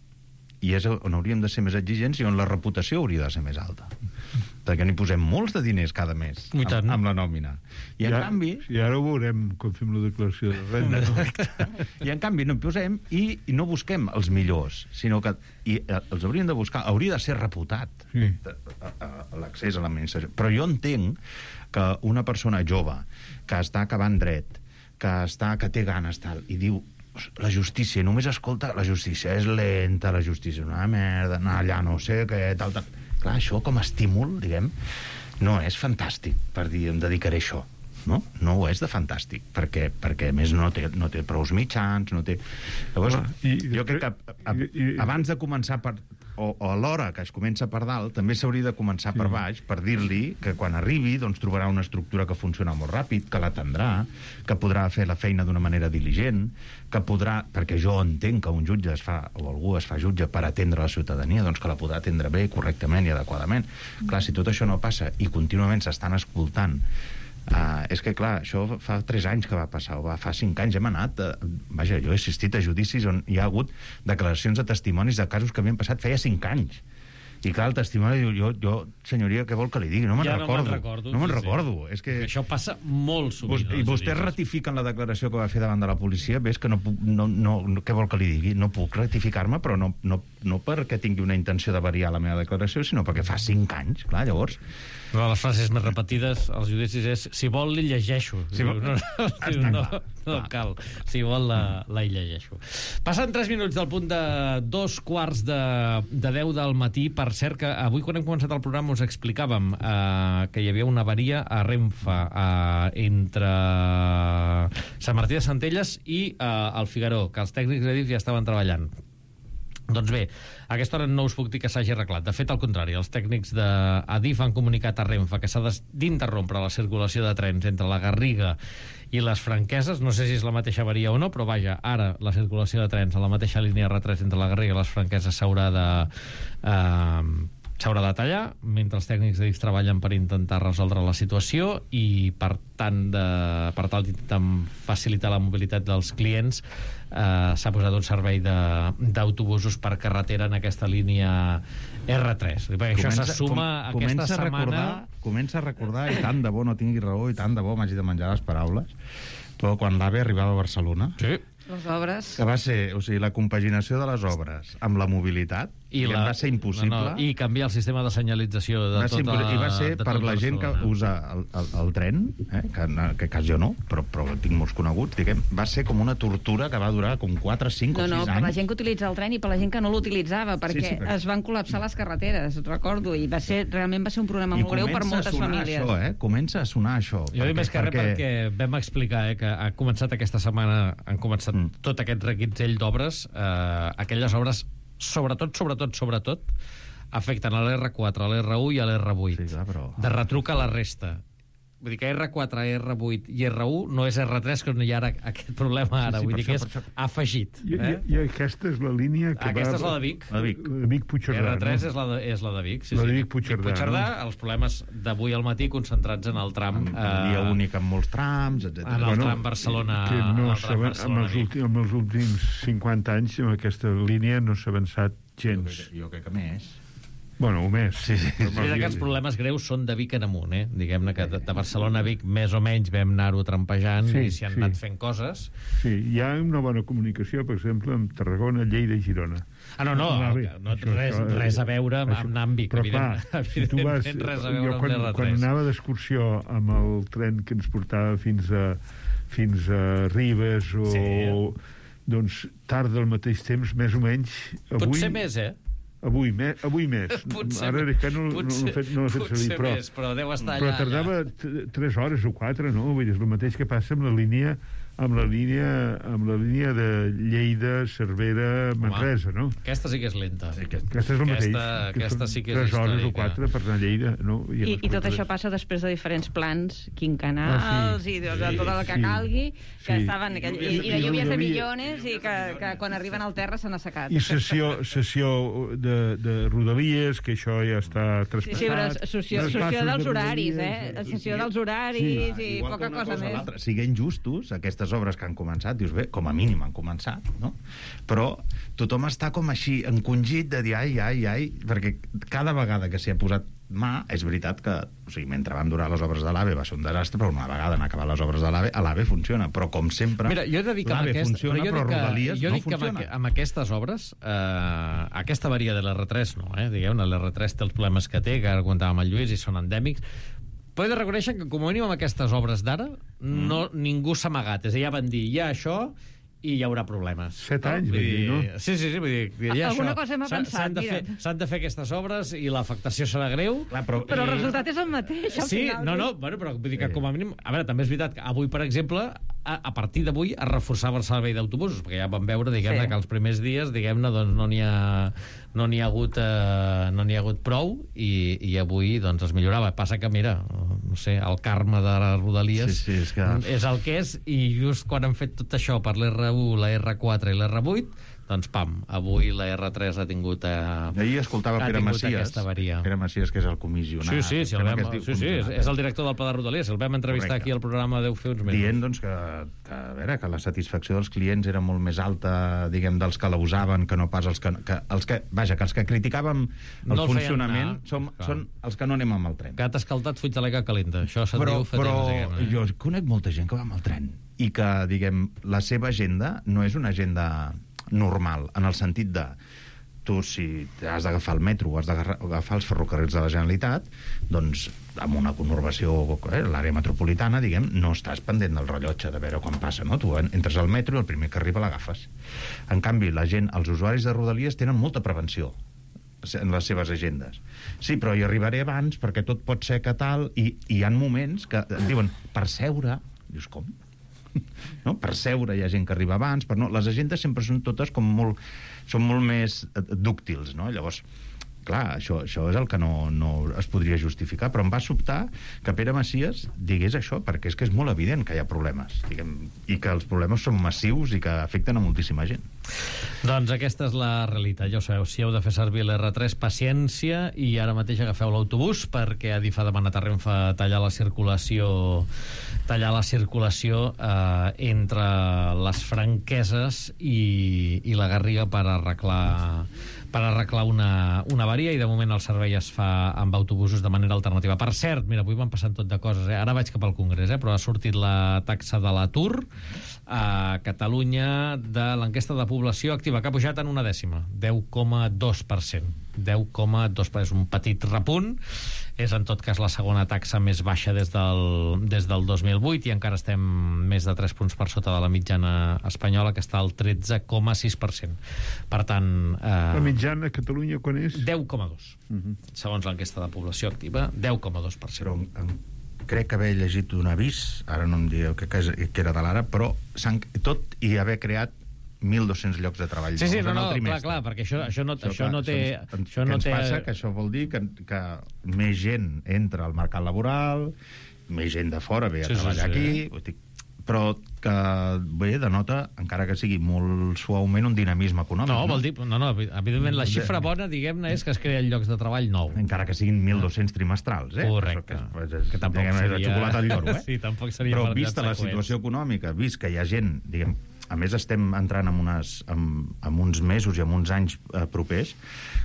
I és on hauríem de ser més exigents i on la reputació hauria de ser més alta. Perquè n'hi posem molts de diners cada mes amb la nòmina. I en canvi... I ara ho veurem quan fem la declaració de renda. I en canvi no posem i no busquem els millors, sinó que els hauríem de buscar, hauria de ser reputat l'accés a l'administració. Però jo entenc que una persona jove que està acabant dret, que té ganes tal, i diu la justícia, només escolta la justícia és lenta, la justícia és una merda, allà no sé què, tal. Clar, això com a estímul, diguem, no és fantàstic per dir em dedicaré a això, no? No ho és de fantàstic, perquè a més no té prous mitjans, no té... Llavors, jo crec que abans de començar o a l'hora que es comença per dalt, també s'hauria de començar per baix, per dir-li que quan arribi doncs trobarà una estructura que funciona molt ràpid, que l'atendrà, que podrà fer la feina d'una manera diligent, que podrà, perquè jo entenc que un jutge o algú es fa jutge per atendre la ciutadania, doncs que la podrà atendre bé, correctament i adequadament. Clar, si tot això no passa i contínuament s'estan escoltant, és que, clar, això fa 3 anys que va passar, o fa 5 anys hem anat... Vaja, jo he assistit a judicis on hi ha hagut declaracions de testimonis de casos que havien passat feia 5 anys. I clar, el testimoni diu, jo, senyoria, què vol que li digui? No me'n recordo. No me'n recordo. És que això passa molt sovint. I vostès ratifiquen la declaració que va fer davant de la policia, ves que no puc... què vol que li digui? No puc ratificar-me, però no perquè tingui una intenció de variar la meva declaració, sinó perquè fa 5 anys. Clar, llavors... Una de les frases més repetides als judicis és si vol li llegeixo. No cal. Si vol la llegeixo. Passen 3 minuts del punt de 2:15 del matí. Per cert, que avui quan hem començat el programa us explicàvem que hi havia una avaria a Renfe entre Sant Martí de Centelles i el Figaró, que els tècnics d'Adif ja estaven treballant. Doncs bé, a aquesta hora no us puc dir que s'hagi arreglat. De fet, al contrari, els tècnics d'Adif han comunicat a Renfe que s'ha d'interrompre la circulació de trens entre la Garriga i les Franqueses. No sé si és la mateixa avaria o no, però vaja, ara la circulació de trens a la mateixa línia R3 entre la Garriga i les Franqueses s'haurà de tallar, mentre els tècnics d'Adif treballen per intentar resoldre la situació i per tal d'intentar facilitar la mobilitat dels clients s'ha posat un servei d'autobusos per carretera en aquesta línia R3. Perquè això se suma aquesta setmana... Comença a recordar, i tant de bo no tingui raó, i tant de bo m'hagi de menjar les paraules, però quan l'AVE arribava a Barcelona... Sí. Les obres. Que va ser, o sigui, la compaginació de les obres amb la mobilitat, va ser impossible. I canviar el sistema de senyalització de tota... I va ser per la gent que usa el tren, que cas jo no, però tinc molts coneguts, diguem, va ser com una tortura que va durar com 4, 5 o 6 anys. No, per la gent que utilitza el tren i per la gent que no l'utilitzava, perquè es van col·lapsar les carreteres, recordo, i realment va ser un problema molt greu per moltes famílies. Comença a sonar això. Jo dic més que res perquè vam explicar que ha començat aquesta setmana, han començat tot aquest reguitzell d'obres, aquelles obres sobretot afecten a l'R4, a l'R1 i a l'R8. Sí, clar, però... De retruc a la resta. Vull dir que R4, R8 i R1 no és R3, que no hi ha aquest problema ara. Vull dir que és afegit. I aquesta és la línia que aquesta és la de Vic. La de Vic. La Vic-Puigcerdà. R3 és la de Vic. La de Vic-Puigcerdà. Els problemes d'avui al matí concentrats en el tram... Via únic amb molts trams, etc. En el tram Barcelona... Amb els últims 50 anys, amb aquesta línia no s'ha avançat gens. Jo crec que més. Bueno, o més. Sí. Aquests problemes greus són de Vic en amunt, Diguem-ne que de Barcelona a Vic més o menys vam anar-ho trampejant i s'hi han anat fent coses. Sí, hi ha una bona comunicació, per exemple, amb Tarragona, Lleida i Girona. Res a veure amb anar amb Vic, però clar, si tu vas... Res a veure amb l'R3. Quan anava d'excursió amb el tren que ens portava fins a Ribes o... doncs tarda al mateix temps, més o menys... Potser més, Avui més. Ara és que no l'he fet servir, però deu estar allà. Però tardava 3 hores o 4, no? Vull dir, és el mateix que passa amb la línia de Lleida, Cervera, Manresa, no? Aquesta sí que és lenta. Aquesta és el mateix. Aquesta sí que és 3 hores o 4 per anar a Lleida, no? I tot això passa després de diferents plans quinquennals i de tot el que calgui, que estaven... I de lluvias de millones i que quan arriben al terra s'han assecat. I sessió de Rodalies, que això ja està traspassat. Sí, però sessió dels horaris, sessió dels horaris i poca cosa més. Siguent justos, aquestes obres que han començat, dius, bé, com a mínim han començat, no? Però tothom està com així encongit de dir ai, perquè cada vegada que s'hi ha posat mà, és veritat que, o sigui, mentre van durar les obres de l'AVE va ser un desastre, però una vegada han acabat les obres de l'AVE funciona, però com sempre l'AVE funciona, però Rodalies no funciona. Amb aquestes obres, aquesta avaria de l'R3 no, diguem-ne, l'R3 té els problemes que té, que ara comentàvem el Lluís, i són endèmics. Però he de reconèixer que, com a mínim, amb aquestes obres d'ara, ningú s'ha amagat. És a dir, ja van dir, hi ha això i hi haurà problemes. 7 anys, vull dir, no? Sí, vull dir, hi ha alguna cosa hem pensat, mira. S'han de fer aquestes obres i l'afectació serà greu. Clar, però el resultat és el mateix, al final. Bueno, però vull dir que, com a mínim... A veure, també és veritat que avui, per exemple, a partir d'avui es reforçava el servei d'autobusos, perquè ja vam veure, diguem-ne, que els primers dies, diguem-ne, doncs no n'hi ha hagut prou i avui, doncs, es millorava. Passa que, mira, no sé, el karma de les Rodalies és el que és, i just quan han fet tot això per l'R1, la R4 i l'R8, doncs pam, avui la R3 ha tingut ahir escoltava Pere Macias, que és el comissionat. Sí, és el director del Pla de Rodalies, el vam entrevistar aquí al programa Deu fer uns mesos. Dient, doncs, que a veure, que la satisfacció dels clients era molt més alta, diguem, dels que la usaven, que no pas els que criticàvem el funcionament són els que no anem amb el tren. Gat escaldat, fuig de l'aigua calenta. Això se'n diu fa temps. Però jo conec molta gent que va amb el tren i que, diguem, la seva agenda no és una agenda normal, en el sentit de tu, si has d'agafar el metro o has d'agafar els ferrocarrils de la Generalitat, doncs amb una conurbació, l'àrea metropolitana, diguem, no estàs pendent del rellotge de veure quan passa, no? Tu entres al metro i el primer que arriba l'agafes. En canvi, la gent, els usuaris de Rodalies tenen molta prevenció en les seves agendes. Sí, però hi arribaré abans perquè tot pot ser que tal, i hi ha moments que et diuen per seure, dius com? No? Per seure hi ha gent que arriba abans, però no, les agendes sempre són totes com són molt més dúctils, no? Llavors, clar, això és el que no es podria justificar, però em va sobtar que Pere Macias digués això, perquè és que és molt evident que hi ha problemes, diguem, i que els problemes són massius i que afecten a moltíssima gent. Doncs aquesta és la realitat, ja ho sabeu, si heu de fer servir l'R3, paciència, i ara mateix agafeu l'autobús, perquè Adif ha demanat a Renfe tallar la circulació entre les Franqueses i la Garriga per per arreglar una avaria, i de moment el servei es fa amb autobusos de manera alternativa. Per cert, mira, avui van passant tot de coses, ara vaig cap al Congrés, però ha sortit la taxa de l'atur a Catalunya de l'enquesta de població activa, que ha pujat en 1/10, 10,2%. 10,2%, és un petit repunt, és en tot cas la segona taxa més baixa des del 2008, i encara estem més de 3 punts per sota de la mitjana espanyola, que està al 13,6%. Per tant... La mitjana a Catalunya quan és? 10,2%. Segons l'enquesta de població activa, 10,2%. Però crec haver llegit un avís, ara no em dieu que era de l'ara, però tot i haver creat 1.200 llocs de treball. Sí, clar, perquè això no té... Què ens passa? Que això vol dir que més gent entra al mercat laboral, més gent de fora ve a treballar aquí, però que bé, denota, encara que sigui molt suaument, un dinamisme econòmic. No, vol dir... No, evidentment, la xifra bona, diguem-ne, és que es creen llocs de treball nou. Encara que siguin 1.200 trimestrals, Correcte. Que tampoc seria... xocolata al lloro, Sí, tampoc seria... Però vista la situació econòmica, vist que hi ha gent, diguem... A més, estem entrant en uns mesos i en uns anys propers,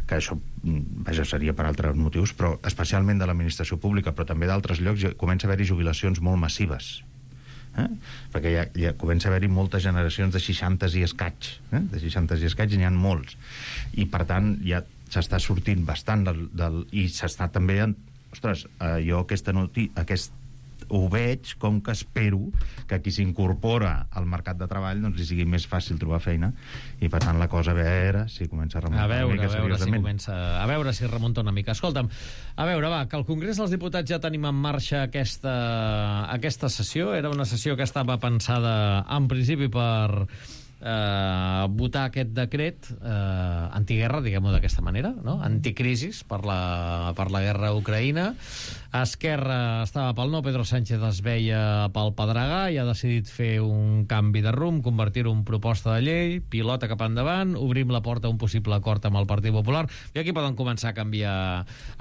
que això, vaja, seria per altres motius, però especialment de l'administració pública, però també d'altres llocs, comença a haver-hi jubilacions molt massives. Perquè ja comença a haver-hi moltes generacions de 60 i escaig. De 60 i escaig n'hi ha molts. I, per tant, ja s'està sortint bastant i s'està també... Ostres, jo ho veig com que espero que qui s'incorpora al mercat de treball doncs li sigui més fàcil trobar feina, i per tant la cosa a veure si comença a remuntar una mica seriosament. A veure si remunta una mica. Escolta'm, a veure, va, que al Congrés dels Diputats ja tenim en marxa aquesta sessió. Era una sessió que estava pensada en principi per votar aquest decret antiguerra, diguem-ho d'aquesta manera, no? Anticrisis per la guerra a Ucraïna. Esquerra estava pel no, Pedro Sánchez es veia pel pedregar i ha decidit fer un canvi de rumb, convertir-ho en proposta de llei, pilota cap endavant, obrim la porta a un possible acord amb el Partit Popular, i aquí poden començar a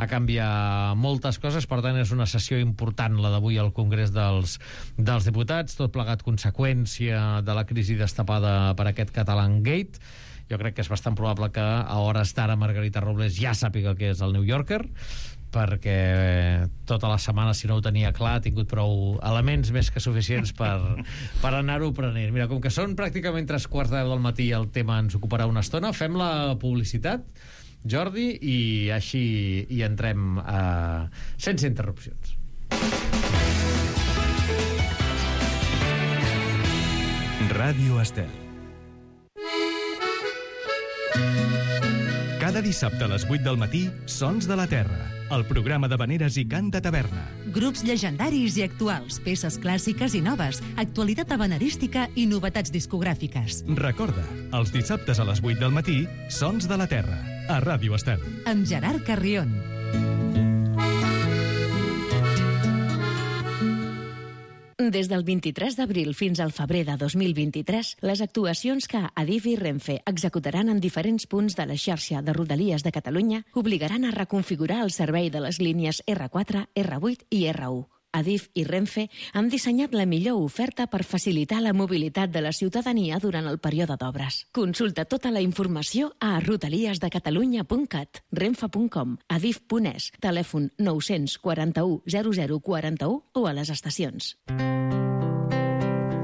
canviar moltes coses. Per tant, és una sessió important la d'avui al Congrés dels Diputats, tot plegat conseqüència de la crisi destapada per aquest Catalan Gate. Jo crec que és bastant probable que a hores d'ara Margarita Robles ja sàpiga què és el New Yorker, perquè tota la setmana, si no ho tenia clar, ha tingut prou elements més que suficients per anar-ho prenent. Mira, com que són pràcticament 3:15 del matí, el tema ens ocuparà una estona, fem la publicitat, Jordi, i així hi entrem sense interrupcions. Ràdio Estel. Cada dissabte a les 8 del matí, Sons de la Terra, el programa d'havaneres i cant de taverna. Grups llegendaris i actuals, peces clàssiques i noves, actualitat havanerística i novetats discogràfiques. Recorda, els dissabtes a les 8 del matí, Sons de la Terra, a Ràdio Estel. Amb Gerard Carrion. Des del 23 d'abril fins al febrer de 2023, les actuacions que Adif i Renfe executaran en diferents punts de la xarxa de Rodalies de Catalunya obligaran a reconfigurar el servei de les línies R4, R8 i R1. Adif i Renfe han dissenyat la millor oferta per facilitar la mobilitat de la ciutadania durant el període d'obres. Consulta tota la informació a rodaliesdecatalunya.cat, renfe.com, adif.es, telèfon 941 0041 o a les estacions.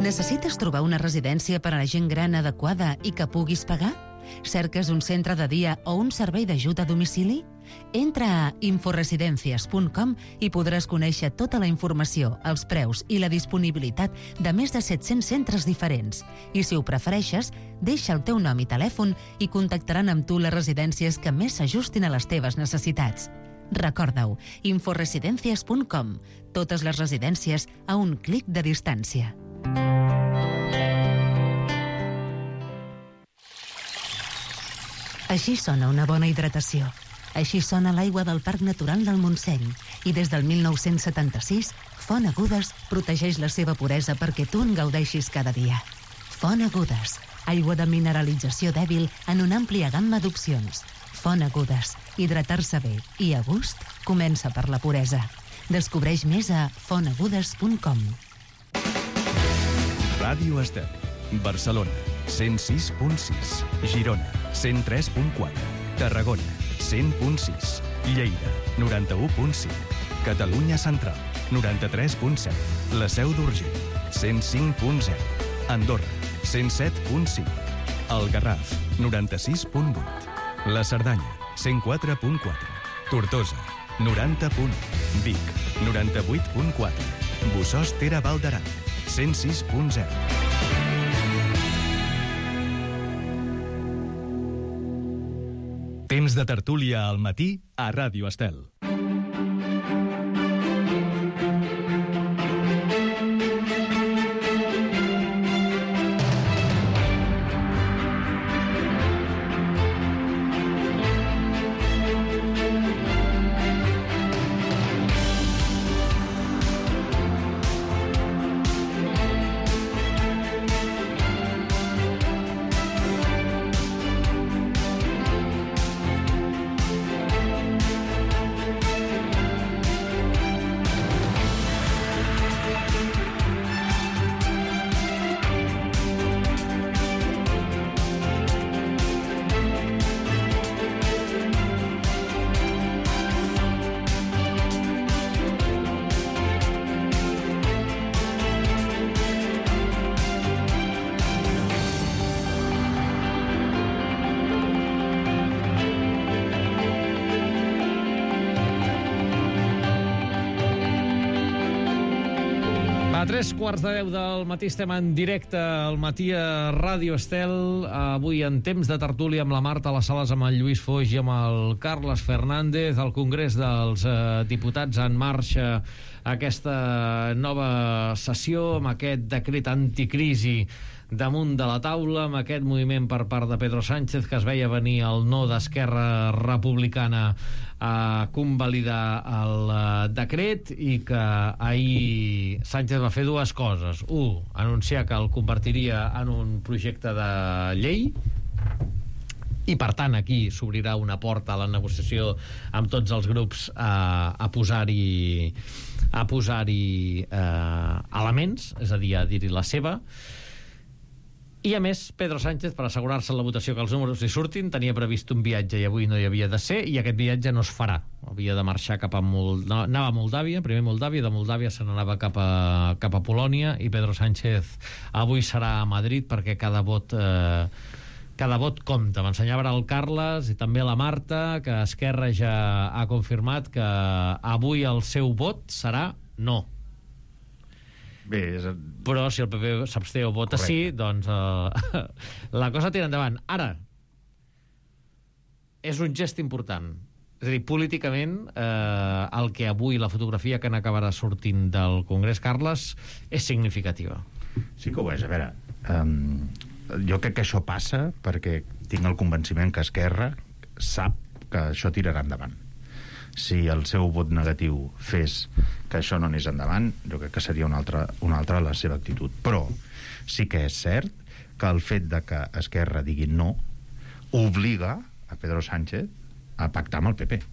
Necessites trobar una residència per a la gent gran adequada i que puguis pagar? Cerques un centre de dia o un servei d'ajut a domicili? Entra a inforesidencias.com i podràs conèixer tota la informació, els preus i la disponibilitat de més de 700 centres diferents. I si ho prefereixes, deixa el teu nom i telèfon i contactaran amb tu les residències que més s'ajustin a les teves necessitats. Recorda-ho, inforesidencias.com. Totes les residències a un clic de distància. Així sona una bona hidratació. Així sona l'aigua del Parc Natural del Montseny. I des del 1976, Font Agudes protegeix la seva puresa perquè tu en gaudeixis cada dia. Font Agudes, aigua de mineralització dèbil en una àmplia gamma d'opcions. Font Agudes, hidratar-se bé i a gust comença per la puresa. Descobreix més a fontagudes.com. Ràdio Estel, Barcelona, 106.6, Girona, 103.4, Tarragona, 100.6. Lleida, 91.5. Catalunya Central, 93.7. La Seu d'Urgell, 105.0. Andorra, 107.5. El Garraf, 96.8. La Cerdanya, 104.4. Tortosa, 90.1. Vic, 98.4. Bossòst Tere Val d'Aran, 106.0. Temps de tertúlia al matí a Ràdio Estel. A 3:15 del matí estem en directe al matí a Ràdio Estel, avui en temps de tertúlia amb la Marta a les sales, amb el Lluís Foix i amb el Carles Fernández. El Congrés dels Diputats en marxa aquesta nova sessió amb aquest decret anticrisi damunt de la taula, amb aquest moviment per part de Pedro Sánchez, que es veia venir el no d'Esquerra Republicana a convalidar el decret, i que ahir Sánchez va fer dues coses. Un, anunciar que el convertiria en un projecte de llei, i per tant aquí s'obrirà una porta a la negociació amb tots els grups a posar-hi elements, és a dir, a dir-hi la seva. I a més, Pedro Sánchez, per assegurar-se en la votació que els números hi surtin, tenia previst un viatge i avui no hi havia de ser, i aquest viatge no es farà. Havia de marxar cap a anava a Moldàvia, primer Moldàvia, de Moldàvia se n'anava cap a Polònia, i Pedro Sánchez avui serà a Madrid perquè cada vot compta. M'ensenyava el Carles i també la Marta que Esquerra ja ha confirmat que avui el seu vot serà no. Bé, però si el PP s'absté o vota sí, doncs la cosa tira endavant. Ara, és un gest important. És a dir, políticament, el que avui, la fotografia que n'acabarà sortint del Congrés, Carles, és significativa. Sí que ho és. A veure, jo crec que això passa perquè tinc el convenciment que Esquerra sap que això tirarà endavant. Si el seu vot negatiu fes que això no anés endavant, jo crec que seria una altra la seva actitud. Però sí que és cert que el fet de que Esquerra digui no obliga a Pedro Sánchez a pactar amb el PP.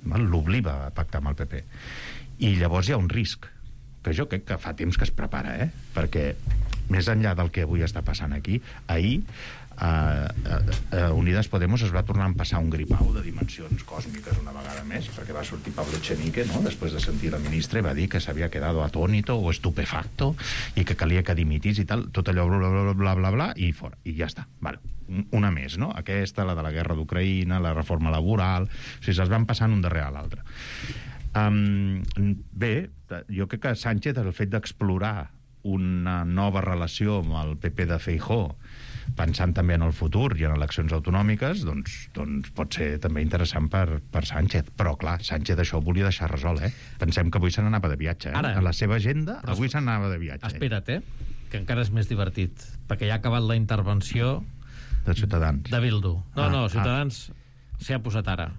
L'obliga a pactar amb el PP. I llavors hi ha un risc, que jo crec que fa temps que es prepara, perquè més enllà del que avui està passant aquí, ahir Unidas Podemos es va tornar a empassar un gripau de dimensions còsmiques una vegada més, perquè va sortir Pablo Echenique, no?, després de sentir la ministra, i va dir que s'havia quedado atónito o estupefacto i que calia que dimitís i tal, tot allò bla bla bla, i fora, i ja està. Vale. Una més, no? Aquesta, la de la guerra d'Ucraïna, la reforma laboral, o sigui, se'ls van passant un darrere l'altre. Bé, jo crec que Sánchez, el fet d'explorar una nova relació amb el PP de Feijóo, pensant també en el futur i en eleccions autonòmiques, doncs pot ser també interessant per Sánchez. Però, clar, Sánchez això ho volia deixar resolt, Pensem que avui se n'anava de viatge, Ara, a la seva agenda, avui se n'anava de viatge. Espera't, que encara és més divertit, perquè ja ha acabat la intervenció de Ciutadans. De Bildu. No, Ciutadans s'hi ha posat ara.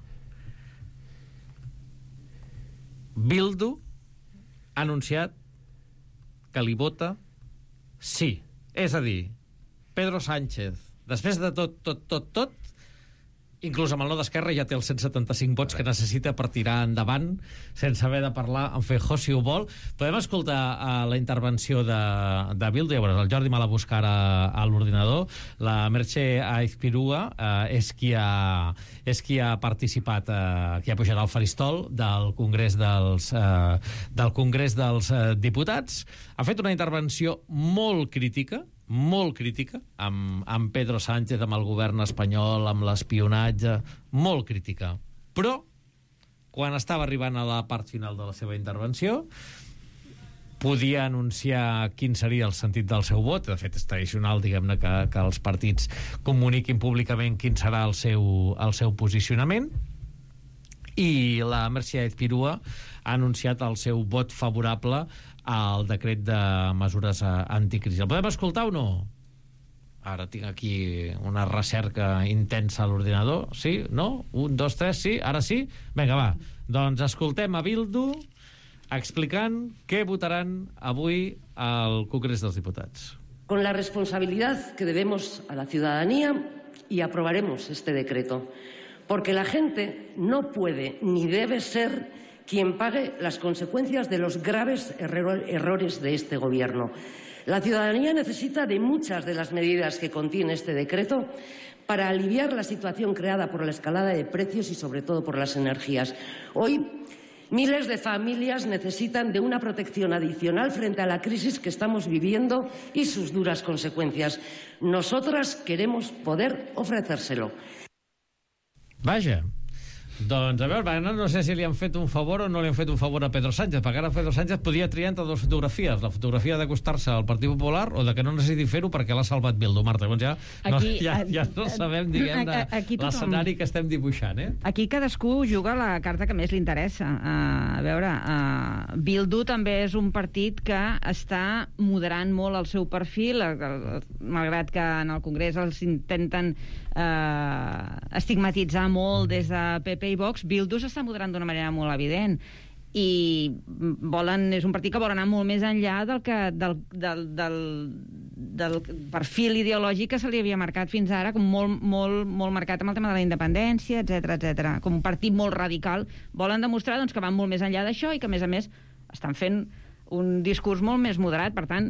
Bildu ha anunciat que li vota sí. És a dir, Pedro Sánchez, després de tot, inclús amb el no d'Esquerra ja té els 175 vots que necessita per tirar endavant sense haver de parlar amb Feijóo, si ho vol. Podem escoltar la intervenció de Bildu. El Jordi me la busca ara a l'ordinador. La Merche Aizpurua és qui ha participat, qui ha pujat al faristol del Congrés dels Diputats. Ha fet una intervenció molt crítica amb Pedro Sánchez, amb el govern espanyol, amb l'espionatge, molt crítica. Però, quan estava arribant a la part final de la seva intervenció, podia anunciar quin seria el sentit del seu vot. De fet, és tradicional, diguem-ne, que els partits comuniquin públicament quin serà el seu posicionament. I la Merche Aizpurua ha anunciat el seu vot favorable al decret de mesures anticrisi. El podem escoltar o no? Ara tinc aquí una recerca intensa a l'ordinador. Sí? No? 1, 2, 3, sí? Ara sí? Vinga, va. Doncs escoltem a Bildu explicant què votaran avui al Congrés dels Diputats. Con la responsabilidad que debemos a la ciudadanía y aprobaremos este decreto, porque la gente no puede ni debe ser quien pague las consecuencias de los graves errores de este Gobierno. La ciudadanía necesita de muchas de las medidas que contiene este decreto para aliviar la situación creada por la escalada de precios y sobre todo por las energías. Hoy, miles de familias necesitan de una protección adicional frente a la crisis que estamos viviendo y sus duras consecuencias. Nosotras queremos poder ofrecérselo. Vaja. Doncs, a veure, no sé si li han fet un favor o no li han fet un favor a Pedro Sánchez, perquè ara Pedro Sánchez podia triar entre dues fotografies, la fotografia d'acostar-se al Partit Popular o de que no necessiti fer-ho perquè l'ha salvat Bildu. Marta, doncs ja no sabem, diguem, l'escenari que estem dibuixant, eh? Aquí cadascú juga la carta que més li interessa. A veure, Bildu també és un partit que està moderant molt el seu perfil, malgrat que en el Congrés els intenten estigmatitzar molt des de PP i Vox. Bildu s'està moderant d'una manera molt evident i és un partit que vol anar molt més enllà del perfil ideològic que se li havia marcat fins ara, com molt marcat amb el tema de la independència, etc. Com un partit molt radical. Volen demostrar que van molt més enllà d'això i que, a més, estan fent un discurs molt més moderat. Per tant,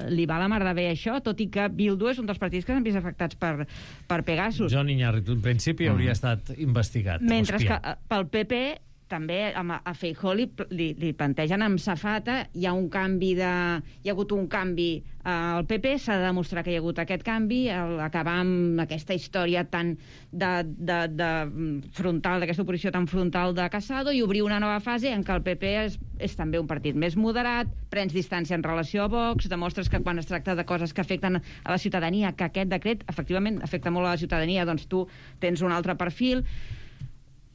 li va la mar de bé això, tot i que Bildu és un dels partits que s'han vist afectats per Pegasus. John Iñárritu, en principi, hauria estat investigat. Mentre que pel PP també a Feijóo li plantegen amb safata, hi ha hagut un canvi al PP, s'ha de demostrar que hi ha hagut aquest canvi, acabar amb aquesta història tan frontal, d'aquesta oposició tan frontal de Casado, i obrir una nova fase en què el PP és també un partit més moderat, prens distància en relació a Vox, demostres que quan es tracta de coses que afecten a la ciutadania, que aquest decret efectivament afecta molt a la ciutadania, doncs tu tens un altre perfil.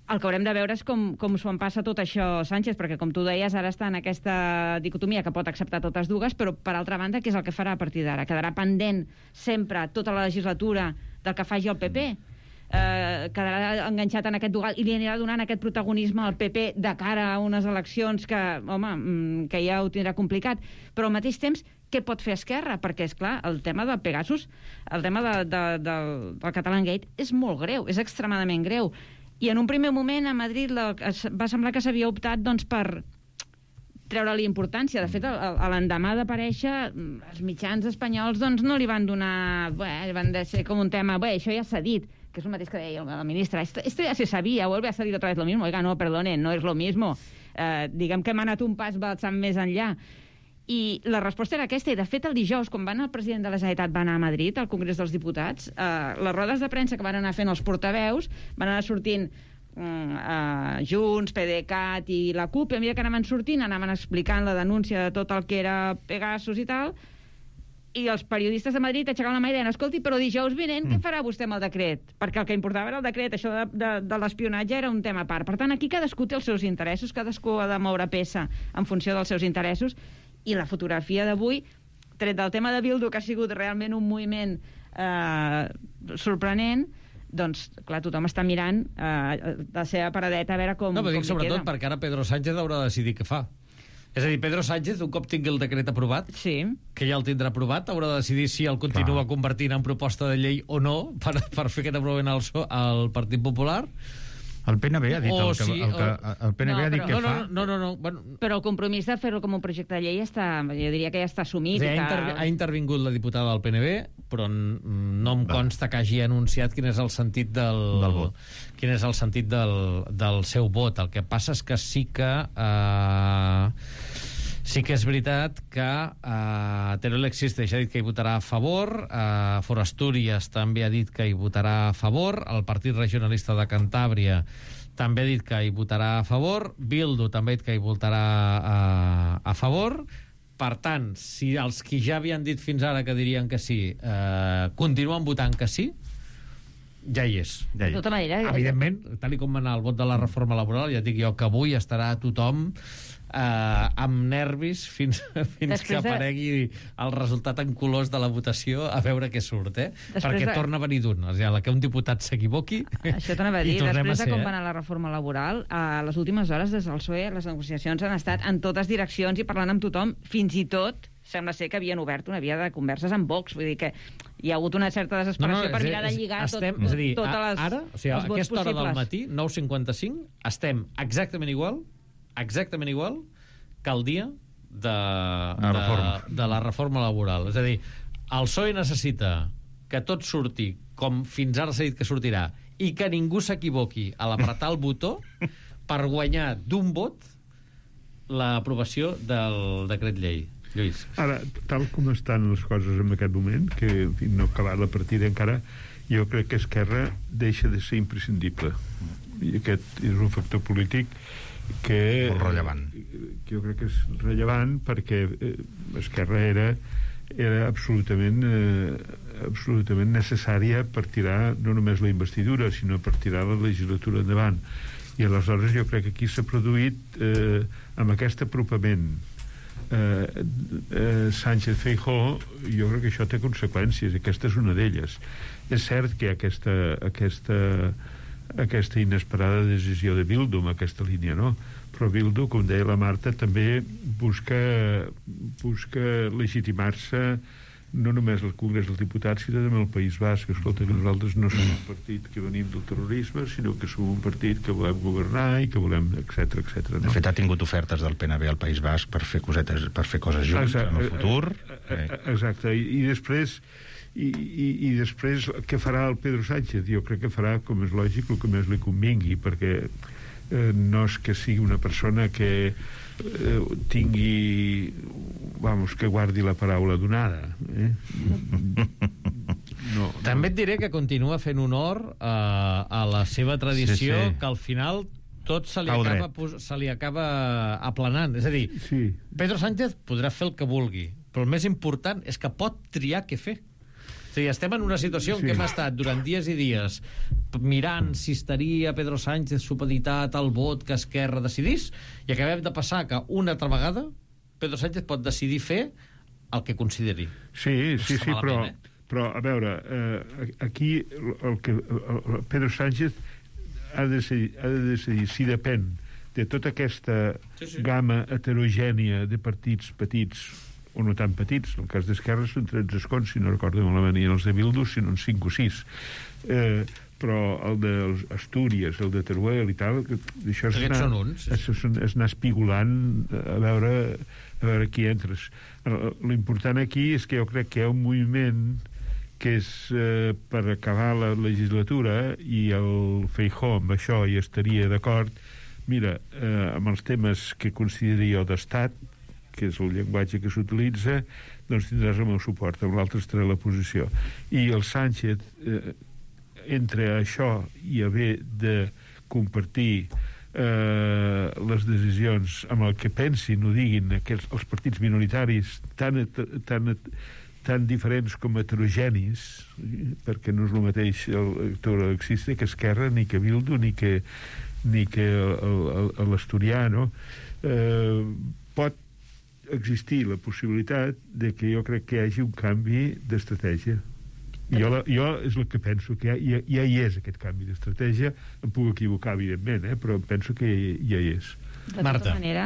El que haurem de veure és com s'ho en passa tot això Sánchez, perquè, com tu deies, ara està en aquesta dicotomia que pot acceptar totes dues, però, per altra banda, què és el que farà a partir d'ara? Quedarà pendent sempre tota la legislatura del que faci el PP? Quedarà enganxat en aquest dual i li anirà donant aquest protagonisme al PP de cara a unes eleccions que, que ja ho tindrà complicat? Però al mateix temps, què pot fer Esquerra? Perquè, és clar, el tema del Pegasus, el tema del Catalan Gate és molt greu, és extremadament greu. I en un primer moment a Madrid va semblar que s'havia optat per treure-li importància. De fet, a l'endemà d'aparèixer, els mitjans espanyols no li van donar... van ser com un tema... això ja s'ha dit, que és el mateix que deia la ministra. Esto ya se sabía, vuelve a salir otra vez lo mismo. Oiga, no, perdone, no es lo mismo. Diguem que hem anat un pas bastant més enllà. I la resposta era aquesta, i de fet el dijous, quan el president de la Generalitat va anar a Madrid, al Congrés dels Diputats, les rodes de premsa que van anar fent els portaveus van anar sortint Junts, PDeCAT i la CUP, i a mesura que anaven sortint anaven explicant la denúncia de tot el que era Pegasus i tal, i els periodistes de Madrid aixecaven la mà i deien, escolti, però dijous vinent què farà vostè amb el decret? Perquè el que importava era el decret, això de l'espionatge era un tema a part. Per tant, aquí cadascú té els seus interessos, cadascú ha de moure peça en funció dels seus interessos, i la fotografia d'avui, tret del tema de Bildu, que ha sigut realment un moviment sorprenent, doncs, clar, tothom està mirant la seva paradeta a veure com queda. No, però dic sobretot perquè ara Pedro Sánchez haurà de decidir què fa. És a dir, Pedro Sánchez, un cop tingui el decret aprovat, que ja el tindrà aprovat, haurà de decidir si el continua convertint en proposta de llei o no, per fer aquest aprovament al Partit Popular. El PNB ha dit el PNB ha dit que fa... No. Però el compromís de fer-lo com un projecte de llei jo diria que ja està assumit. Ha intervingut la diputada del PNB, però no em consta que hagi anunciat quin és el sentit del vot. Quin és el sentit del seu vot. El que passa és que sí que és veritat que Teruel Existeix ha dit que hi votarà a favor, For Astúries també ha dit que hi votarà a favor, el Partit Regionalista de Cantàbria també ha dit que hi votarà a favor, Bildu també ha dit que hi votarà a favor. Per tant, si els que ja havien dit fins ara que dirien que sí continuen votant que sí, ja hi és. De tota manera... Evidentment, tal com va anar el vot de la reforma laboral, ja dic jo que avui estarà tothom amb nervis fins que aparegui el resultat en colors de la votació, a veure què surt, perquè torna a venir d'un. O sigui, que un diputat s'equivoqui... Això t'anava a dir. Després de com va anar la reforma laboral, a les últimes hores des del PSOE les negociacions han estat en totes direccions i parlant amb tothom, fins i tot sembla ser que havien obert una via de converses amb Vox, vull dir que hi ha hagut una certa desesperació per mirar de lligar totes les vots possibles. Ara, o sigui, a aquesta hora del matí, 9:55, estem exactament igual que el dia de la reforma laboral. És a dir, el PSOE necessita que tot surti com fins ara s'ha dit que sortirà i que ningú s'equivoqui a l'apretar el botó per guanyar d'un vot l'aprovació del decret llei. Lluís. Ara, tal com estan les coses en aquest moment, que en fi, no ha acabat la partida encara, jo crec que Esquerra deixa de ser imprescindible. I aquest és un factor polític que... Molt rellevant. Que jo crec que és rellevant perquè Esquerra era absolutament necessària per tirar no només la investidura, sinó per tirar la legislatura endavant. I aleshores jo crec que aquí s'ha produït amb aquest apropament Sánchez-Feijóo, jo crec que això té conseqüències, aquesta és una d'elles. És cert que aquesta inesperada decisió de Bildu en aquesta línia, no? Però Bildu, com deia la Marta, també busca legitimar-se no només al Congrés dels Diputats, sinó també al País Basc. Escolta, que nosaltres no som un partit que venim del terrorisme, sinó que som un partit que volem governar i que volem, etc. No? De fet, ha tingut ofertes del PNB al País Basc per fer coses junts en el futur. Exacte. I després què farà el Pedro Sánchez? Jo crec que farà, com és lògic, el que més li convingui, perquè no és que sigui una persona que tingui que guardi la paraula donada. No. També et diré que continua fent honor a la seva tradició, que al final tot se li acaba aplanant. És a dir, Pedro Sánchez podrà fer el que vulgui, però el més important és que pot triar què fer. És a dir, estem en una situació en què hem estat durant dies i dies mirant si estaria Pedro Sánchez supeditat al vot que Esquerra decidís, i acabem de passar que una altra vegada Pedro Sánchez pot decidir fer el que consideri. Sí, però a veure, aquí Pedro Sánchez ha de decidir si depèn de tota aquesta gamma heterogènia de partits petits o no tan petits. En el cas d'Esquerra són 13 escons, si no recordo malament, i els de Bildu sinó 5 o 6. Però el d'Astúries, el de Teruel i tal, això és anar espigolant a veure qui entres. L'important aquí és que jo crec que hi ha un moviment que és per acabar la legislatura, i el Feijóo amb això hi estaria d'acord. Mira, amb els temes que consideri jo d'estat, que és el llenguatge que s'utilitza, doncs tindràs el meu suport, amb l'altre estarà la posició. I el Sánchez, entre això i haver de compartir les decisions amb el que pensin o diguin els partits minoritaris tan diferents com heterogenis, perquè no és el mateix el Existe que Esquerra, ni que Bildu, ni que l'Asturiano, pot existir la possibilitat de que jo crec que hi hagi un canvi d'estratègia. Jo és el que penso, que ja hi és aquest canvi d'estratègia. Em puc equivocar, evidentment, però penso que ja hi és. De tota manera,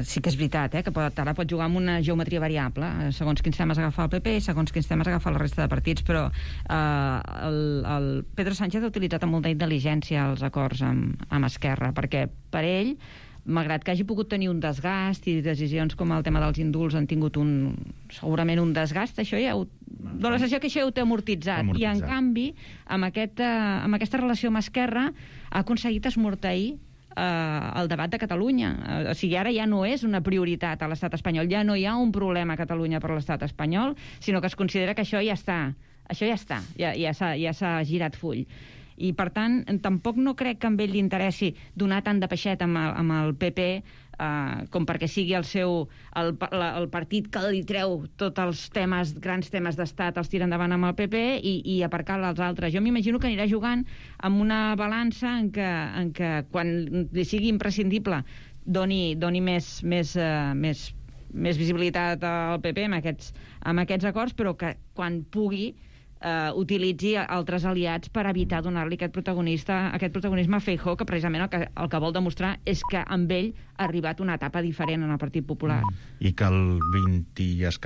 sí que és veritat, que ara pot jugar amb una geometria variable, segons quins temes agafa el PP i segons quins temes agafa la resta de partits, però el Pedro Sánchez ha utilitzat amb molta intel·ligència els acords amb Esquerra, perquè per ell, malgrat que hagi pogut tenir un desgast i decisions com el tema dels indults han tingut segurament un desgast, això ja dona la sensació que això ja ho té amortitzat. I en canvi, amb aquesta relació amb Esquerra ha aconseguit esmorteir el debat de Catalunya. O sigui, ara ja no és una prioritat a l'estat espanyol, ja no hi ha un problema a Catalunya per l'estat espanyol, sinó que es considera que això ja està, ja s'ha girat full. I, per tant, tampoc no crec que amb ell li interessi donar tant de peixet amb el PP com perquè sigui el partit que li treu tots els grans temes d'estat, els tira endavant amb el PP i aparcar els altres. Jo m'imagino que anirà jugant amb una balança en què quan li sigui imprescindible doni més visibilitat al PP amb aquests acords, però que quan pugui utilitzi altres aliats per evitar donar-li aquest protagonisme a Feijóo, que precisament el que vol demostrar és que amb ell ha arribat una etapa diferent en el Partit Popular. I que el 20 i escaig